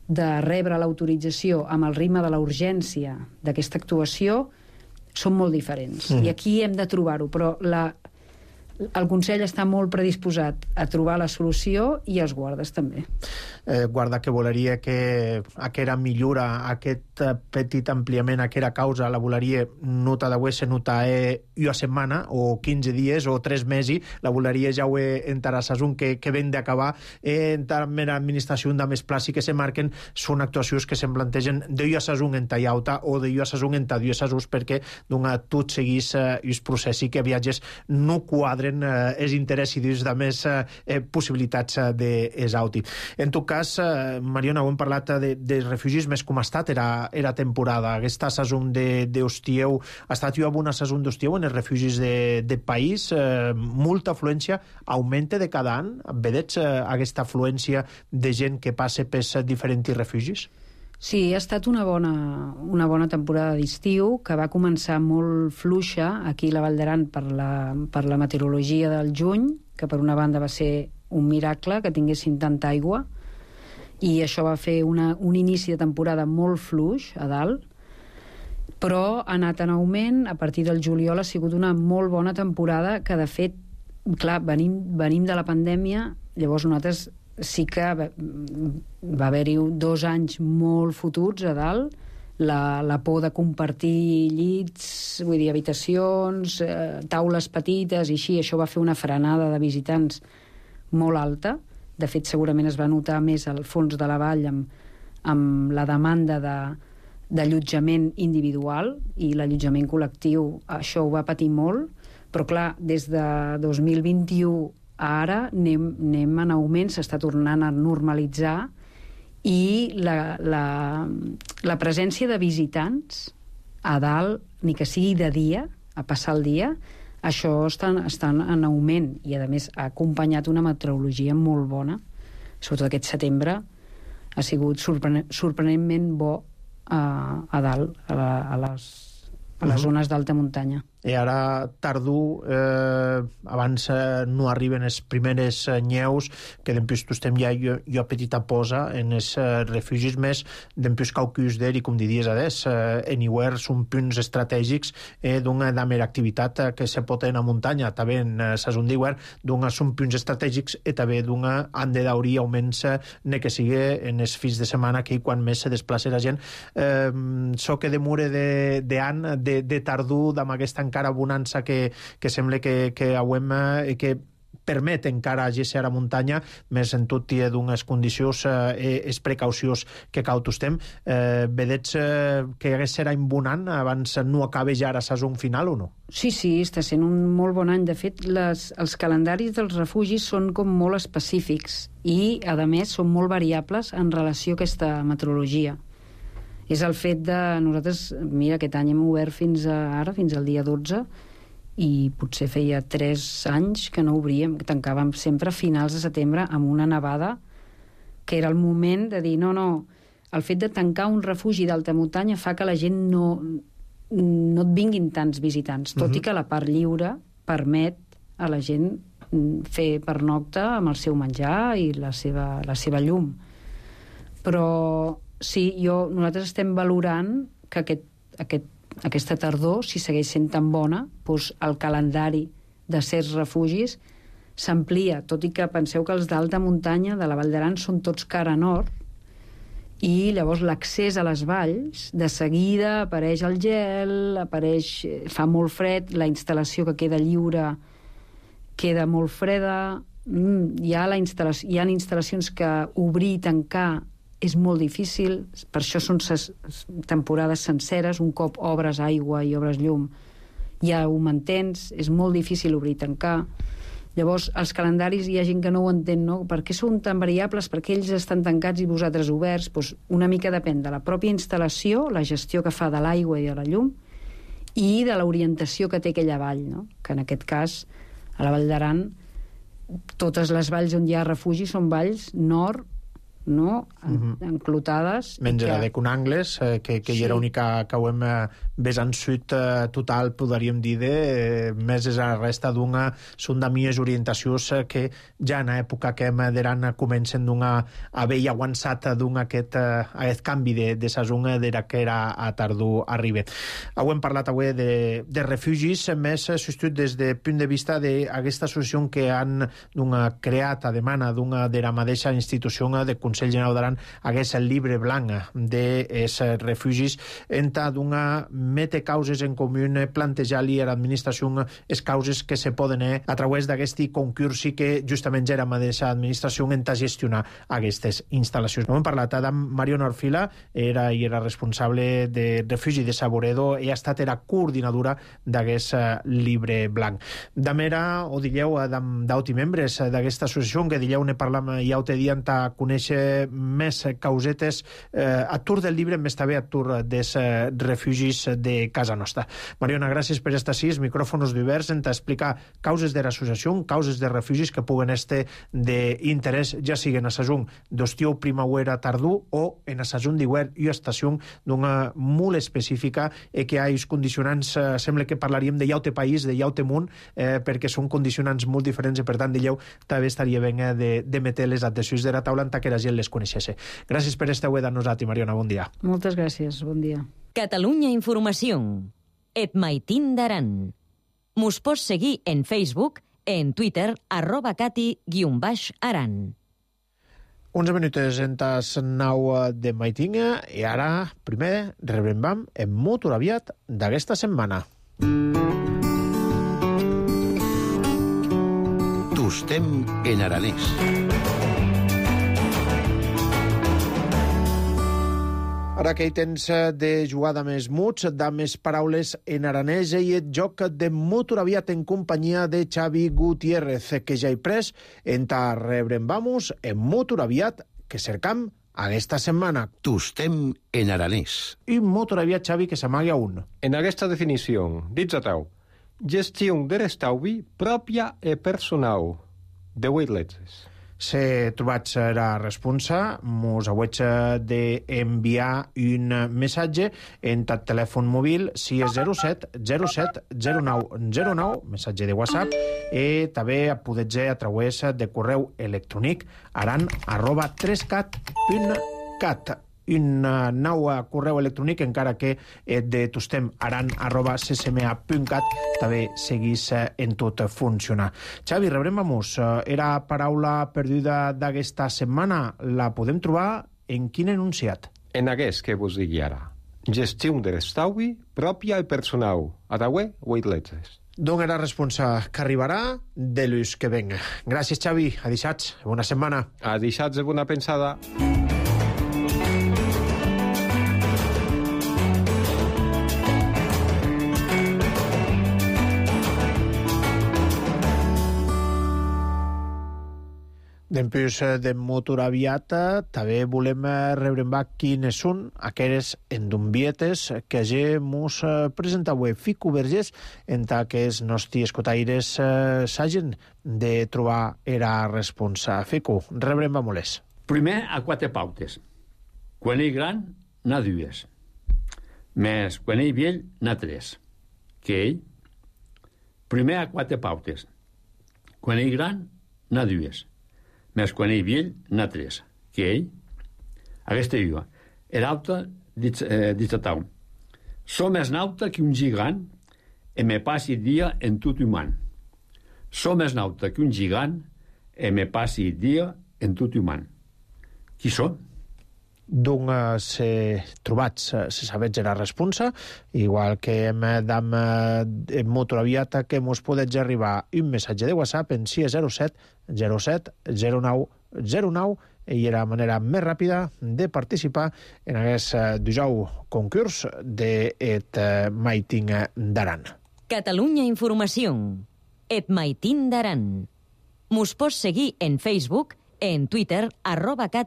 de rebre l'autorització amb el ritme de la urgència d'aquesta actuació són molt diferents. I aquí hem de trobar-ho, però el Consell està molt predisposat a trobar la solució i els guardes també. Guarda que voleria que aquesta millora, aquest petit ampliament, aquesta causa, la voleria nota d'avui se nota una setmana o 15 dies o 3 mesos, la voleria ja ho entrarà sasun que ven d'acabar amb l'administració de més plaç i que se marquen són actuacions que se'n plantegen d'una sasun en tallauta o d'una sasun en 2 sasons perquè tot seguís els processos que viatges no quadren quadren els interessos de més possibilitats d'exauti. En tot cas, Mariona, ho hem parlat de refugis més com ha estat era temporada. Aquesta saison d'estieu ha estat jo una saison d'estieu en els refugis de país. Molta afluència, augmenta de cada any. Vedeig aquesta afluència de gent que passa per diferents refugis? Sí, ha estat una bona temporada d'estiu, que va començar molt fluixa aquí a la Vall d'Aran per la meteorologia del juny, que per una banda va ser un miracle que tinguessin tanta aigua, i això va fer un inici de temporada molt fluix a dalt, però ha anat en augment. A partir del juliol ha sigut una molt bona temporada, que de fet, clar, venim de la pandèmia, llavors nosaltres sí que va haver-hi 2 anys molt fotuts a dalt, la por de compartir llits, vull dir, habitacions, taules petites i així. Això va fer una frenada de visitants molt alta. De fet, segurament es va notar més al fons de la vall amb la demanda d'allotjament individual, i l'allotjament col·lectiu això ho va patir molt, però clar, des de 2021 ara anem en augment, s'està tornant a normalitzar, i la presència de visitants a dalt, ni que sigui de dia, a passar el dia, això està en augment, i a més ha acompanyat una meteorologia molt bona. Sobretot aquest setembre ha sigut sorprenentment bo a dalt, a les zones d'alta muntanya. I ara tardor, abans no arriben les primeres neus, que dempués tu estem ja jo petita posa en els refugis més, dempués caucus d'er, i com diries adés, anywhere són punts estratègics d'una damer activitat que se pot en la muntanya, també en saison d'hivern, d'una són punts estratègics, i també d'una han de daurir augments ne que sigui en els fins de setmana, que quan més se desplaça la gent. So que demure d'an, de tardor, amb aquesta encara bonança que sembla que hauem, que permet encara agir a la muntanya, més en tot i d'unes condicions, és precaucions que cal tostem. Vedeig que serà bonant abans no acabe ja la saison final o no? Sí, està sent un molt bon any. De fet, els calendaris dels refugis són com molt específics i, a més, són molt variables en relació a aquesta meteorologia. És el fet de... Nosaltres, mira, aquest any hem obert fins al dia 12, i potser feia 3 anys que no obríem, que tancàvem sempre a finals de setembre amb una nevada, que era el moment de dir no, el fet de tancar un refugi d'alta muntanya fa que la gent no et vinguin tants visitants, tot i que la part lliure permet a la gent fer pernocta amb el seu menjar i la seva llum. Però sí, nosaltres estem valorant que aquesta tardor, si segueix sent tan bona, doncs el calendari de certs refugis s'amplia, tot i que penseu que els d'alta muntanya de la Vall d'Aran són tots cara nord, i llavors l'accés a les valls, de seguida apareix el gel, fa molt fred, la instal·lació que queda lliure queda molt freda, hi ha instal·lacions que obrir i tancar és molt difícil, per això són temporades senceres, un cop obres aigua i obres llum ja ho mantens, és molt difícil obrir i tancar. Llavors, els calendaris hi ha gent que no ho entén, no? Per què són tan variables? Per què ells estan tancats i vosaltres oberts? Doncs una mica depèn de la pròpia instal·lació, la gestió que fa de l'aigua i de la llum, i de l'orientació que té aquella vall, no? Que en aquest cas, a la Vall d'Aran, totes les valls on hi ha refugi són valls nord, no? Enclotades. Menys la de Conangles, que hi era única que ho hem vessant sud total, podríem dir, més és la resta d'una, són de mies orientacions que ja en època que hem d'eran comencen d'una haver avançat d'un aquest canvi de saison d'era que era a tardor arriba. Ho hem parlat avui de refugis, més substitut des de punt de vista d'aquesta associació que han creat a demanda d'una de la mateixa institució de Consell Consell Generau d'Aran hagués el llibre blanc dels refugis enta d'una mete causes en comú plantejar-li a l'administració les causes que se poden a través d'aquest concursi que justament ja era mateixa administració enta gestionar aquestes instal·lacions. No hem parlat amb Mariona Orfila, era responsable de refugi de Saboredo i ha estat era coordinadora d'aquest llibre blanc. D'amera, o dilleu, d'auti membres d'aquesta associació, que dilleu ne parlam ja ho te dient a conèixer més causetes a tur del llibre, més també a tur dels refugis de casa nostra. Mariona, gràcies per estar així, micròfons diversos, en explicar causes de l'associació, causes de refugis que puguen estar d'interès, ja siguen a sasún d'estiu, primavera, tardú, o en a sasún d'hivern i estació d'una molt específica que hi ha condicionants, sembla que parlaríem de llaute país, de llaute munt, perquè són condicionants molt diferents i per tant dilleu també estaria ben de meter les adhesions de la taula en que la gent les coneixesse. Gràcies per estar avui amb nosaltres, Mariona, bon dia. Moltes gràcies, bon dia. Catalunya Informació. Et Maitín d'Aran. Mos pots seguir en Facebook, en Twitter, @cati_aran. 11 minuts en tas 9 de Maitinga i ara, primer, rebrem en molt aviat d'aquesta setmana. Tostem en aranès. Ara que hi tens de jugada més muts, de més paraules en aranès i el joc de molt aviat en companyia de Xavi Gutiérrez, que ja hi pres en ta rebrem vamos en molt aviat que cercam aquesta setmana. Tostem en aranès. I molt aviat, Xavi, que s'amagui a un. En aquesta definició, dits a tau, gestió de l'estalvi pròpia i personal de 8 lletres. Se trobat la responsa, mos hauig d'enviar un missatge en el telèfon mòbil 607 07 09 09, missatge de WhatsApp, i també podeu a través de correu electrònic aran@3cat.cat. Un nou correu electrònic, encara que de tostem aran@ccma.cat també seguís en tot funcionar. Xavi, rebrem vamos. Era paraula perduda d'aquesta setmana. La podem trobar en quin enunciat? En aquest que vos digui ara. Gestió de l'estalvi pròpia i personal. A tauer, 8 lletres. D'on era responsa que arribarà de l'ús que venga. Gràcies, Xavi. A dissats. Bona setmana. A dissats de bona pensada. Dempús de motor aviat, també volem rebre quines són aquelles endumbietes que ja mos presenta avui Fico Vergés en que els nostres escotaires s'hagin de trobar era responsa. Fico, rebrem molts. Primer, a 4 pautes. Quan ell gran, n'ha 2. Més quan ell vell, n'ha 3. Que ell? Primer, a 4 pautes. Quan ell gran, n'ha 2. Més quan ell vell, n'ha 3. Que ell? Aquesta diu, era alta, dit a tau. Som més nauta que un gigant e me passi dia en tot humà. Som més nauta que un gigant e me passi dia en tot humà. Qui són? D'on se trobats se sabets la responsa, igual que hem d'am en motor aviat que mos podets arribar un missatge de WhatsApp en 607 07 09 09 i era la manera més ràpida de participar en aquest dijous concurs d'Et Maitín d'Aran. Catalunya Informació. Et Maitín d'Aran. Mos pots seguir en Facebook, en Twitter, @cati_aran.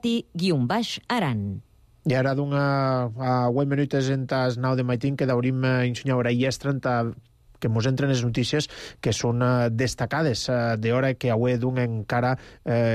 I ara a 8 minuts en tas 9 de Maitín que d'haurim ensenyar ara i estrenta que mos entren les notícies que són destacades d'hora que avui d'un encara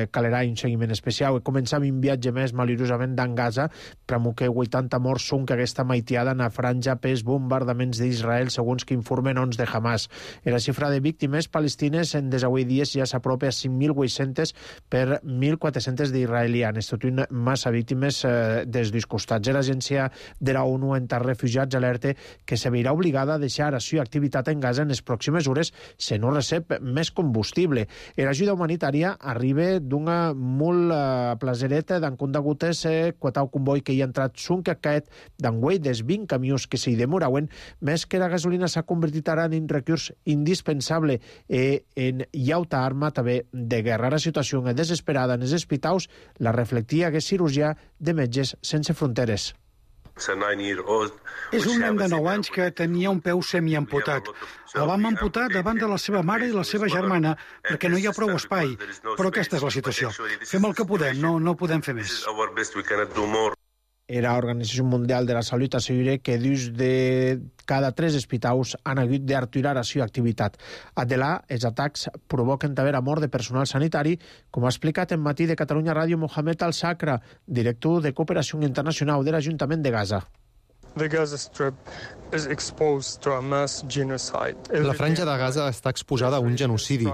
calerà un seguiment especial. Començam un viatge més malirosament d'en Gaza, però que 80 morts són que aquesta maitiada en la franja pels bombardaments d'Israel, segons que informen ons de Hamas. La xifra de víctimes palestines en des avui dies ja s'apropa a 5.800 per 1.400 d'israelianes, tot una massa víctimes des dos costats. L'agència de la ONU en refugiats alerta que se veurà obligada a deixar la seva activitat en Gaza en les pròximes hores si no recep més combustible. L'ajuda humanitària arriba d'una molt plasereta d'en condegutes quatau convoi que hi ha entrat sunc aquest d'enguei des 20 camions que s'hi demorauen, més que la gasolina s'ha convertit ara en un recurs indispensable en llauta arma també de guerra. La situació és desesperada en els hospitals, la reflectia que cirurgià de Metges Sense Fronteres. És un nen de 9 anys que tenia un peu semiamputat. El vam amputar davant de la seva mare i la seva germana perquè no hi ha prou espai. Però aquesta és la situació. Fem el que podem, no podem fer més. L'Organització Mundial de la Salut assegura que dos de cada 3 hospitals han hagut d'aturar la seva activitat. Adelà, els atacs provoquen també la mort de personal sanitari, com ha explicat en Matí de Catalunya Ràdio Mohamed Al-Sakra, director de Cooperació Internacional de l'Ajuntament de Gaza. La franja de Gaza està exposada a un genocidi.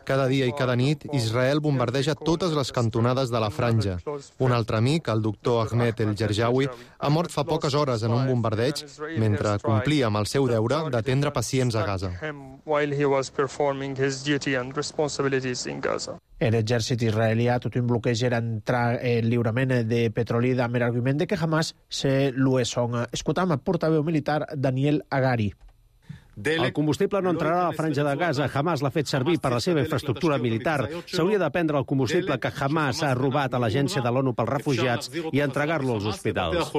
Cada dia i cada nit, Israel bombardeja totes les cantonades de la franja. Un altre amic, el doctor Ahmed El-Jarjawi, ha mort fa poques hores en un bombardeig mentre complia amb el seu deure d'atendre pacients a Gaza. L'exèrcit israelià tot un bloqueig era entrar el lliurament de petroli amb l'argument de que Hamas se l'UESON. Escoltam el portaveu militar Daniel Agari. El combustible no entrarà a la franja de Gaza. Hamas l'ha fet servir per la seva infraestructura militar. S'hauria de prendre el combustible que Hamas ha robat a l'Agència de l'ONU pels Refugiats i entregar-lo als hospitals.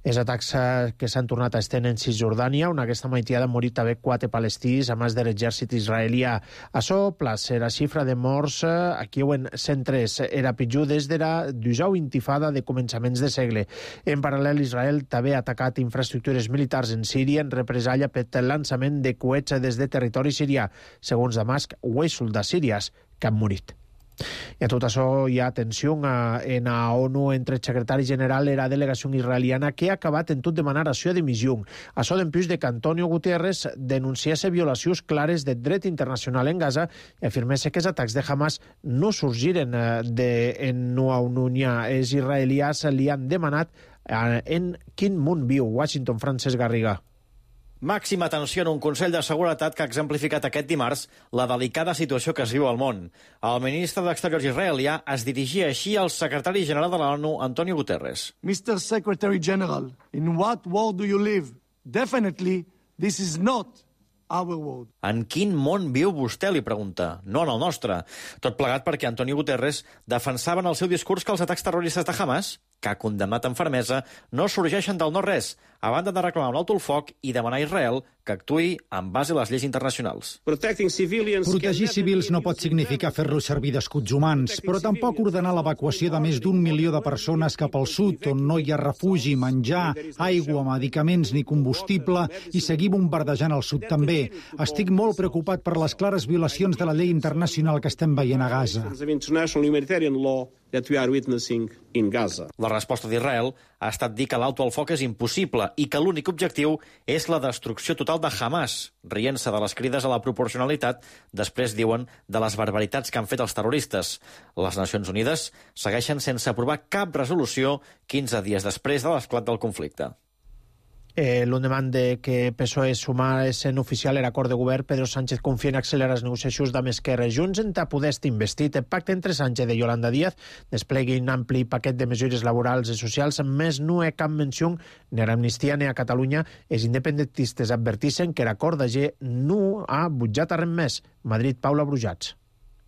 Els atacs que s'han tornat a estendre en Cisjordània, on aquesta maitiada han morit també 4 palestins, a més de l'exèrcit israelià. Açò, plaça la xifra de morts aquí en 103. Era pitjor des de la 12a intifada de començaments de segle. En paral·lel, Israel també ha atacat infraestructures militars en Síria en represàlia per el llançament de coets des de territori sirià. Segons Damasc, 8 soldats síries que han morit. I a tot això hi ha tensió en la ONU entre el secretari general i la delegació israeliana que ha acabat en tot demanar la seva dimissió. Això d'empús de que Antonio Guterres denunciasse violacions clares del dret internacional en Gaza i afirmés que els atacs de Hamas no sorgiren en Nua Ununia. Els israelians li han demanat en quin món viu. Washington, Francesc Garriga. Màxima tensió en un Consell de Seguretat que ha exemplificat aquest dimarts la delicada situació que es viu al món. El ministre d'Exteriors israelià es dirigia així al secretari general de l'ONU, Antonio Guterres. Mr. Secretary General, in what world do you live? Definitely, this is not our world. En quin món viu vostè, li pregunta. No en el nostre. Tot plegat perquè Antonio Guterres defensava en el seu discurs que els atacs terroristes de Hamas, que ha condemnat amb fermesa, no sorgeixen del no-res, a banda de reclamar un alto el foc i demanar a Israel que actuï en base a les lleis internacionals. Protegir civils no pot significar fer-los servir d'escuts humans, però tampoc ordenar l'evacuació de més d'1 milió de persones cap al sud, on no hi ha refugi, menjar, aigua, medicaments ni combustible, i seguir bombardejant el sud també. Estic molt preocupat per les clares violacions de la llei internacional que estem veient a Gaza. La resposta d'Israel ha estat dir que l'alto al foc és impossible i que l'únic objectiu és la destrucció total de Hamas, rient-se de les crides a la proporcionalitat, després diuen de les barbaritats que han fet els terroristes. Les Nacions Unides segueixen sense aprovar cap resolució 15 dies després de l'esclat del conflicte. L'endemà de que PSOE sumés en oficial l'acord de govern, Pedro Sánchez confia en accelerar les negociacions amb Esquerra i Junts en poder estar investit. El pacte entre Sánchez i Yolanda Díaz desplegui un ampli paquet de mesures laborals i socials, més no hi ha cap menció ni a l'amnistia ni a Catalunya. Els independentistes advertixen que l'acord d'ahir no ha butjat a res més. Madrid, Paula Brujats.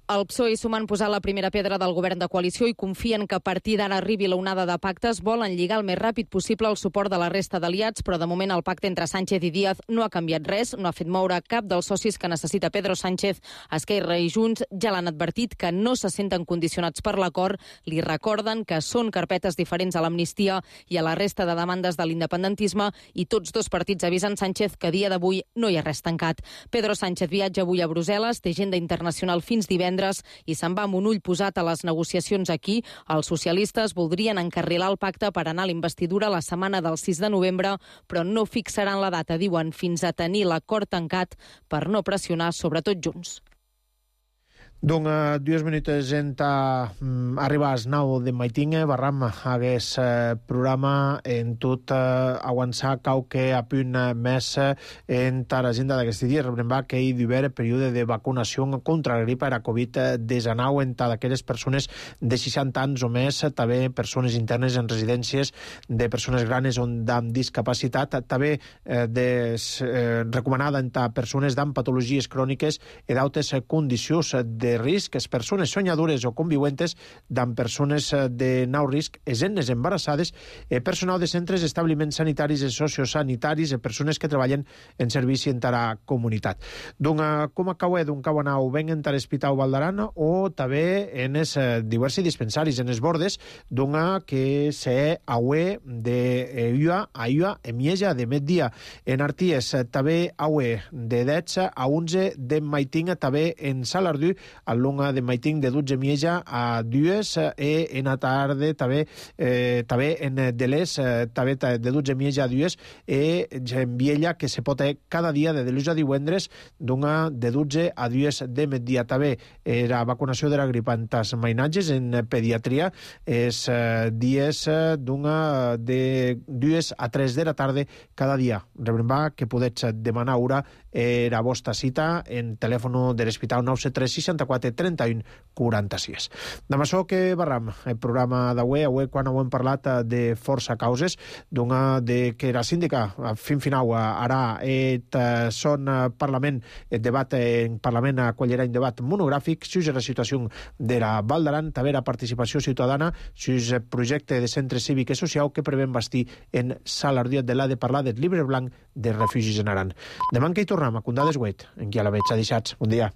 El PSOE i Sumant posar la primera pedra del govern de coalició i confien que a partir d'ara arribi la onada de pactes, volen lligar el més ràpid possible el suport de la resta d'aliats, però de moment el pacte entre Sánchez i Díaz no ha canviat res, no ha fet moure cap dels socis que necessita Pedro Sánchez. Esquerra i Junts ja l'han advertit que no se senten condicionats per l'acord, li recorden que són carpetes diferents a l'amnistia i a la resta de demandes de l'independentisme i tots dos partits avisen Sánchez que a dia d'avui no hi ha res tancat. Pedro Sánchez viatja avui a Brussel·les, té agenda internacional fins divendres i se'n va amb un ull posat a les negociacions aquí. Els socialistes voldrien encarrilar el pacte per anar a la investidura la setmana del 6 de novembre, però no fixaran la data, diuen, fins a tenir l'acord tancat per no pressionar, sobretot Junts. Donc, 2 minuts arribar als 9 de maitinga, barram hagués programa en tot avançar qualque a punt més en l'agenda d'aquest dia. Rebrem que hi d'haver període de vacunació contra la grip era Covid-19 en d'aquelles persones de 60 anys o més, també persones internes en residències de persones grans o amb discapacitat, també recomanada en persones amb patologies cròniques i d'altres condicions de risc, les persones soñadores o conviuentes amb persones de nou risc, les nenes embarassades, personal de centres, establiments sanitaris i sociosanitaris, persones que treballen en servici en la comunitat. Donc, com acabeu anau ben en l'Hospital Vall d'Aran o també en els diversos dispensaris, en els bordes, donc que se haue de Iua a Iua en Mieja de migdia en Arties, també haue de 10 a 11 de maitinga, també en Salardú, a longa de maiting de 12 Mieja a 2 en la tarda també en Delès també de 12 Mieja a 2 en Viella que se pot cada dia de dilluns a divendres de 12 a 2 de migdia. També la vacunació de la grip en tas mainatges en pediatria és dies de 2 a 3 de la tarda cada dia. Rebrem que podets demanar hora la vostra cita en telèfon de l'Hospital 973 64 31 46. Demà açò que barram el programa d'avui, quan hem parlat de força causes, de que la síndica fin final ara son Parlament, el debat en Parlament acollirà un debat monogràfic sobre la situació de la Val d'Aran, també la participació ciutadana sobre el projecte de centre cívic i social que prevem bastir en Salardú de l'ha de parlar del llibre blanc de refugis en Aran. Demà que hi tornem a Condades Güet, en qui a la veig a deixats. Bon dia.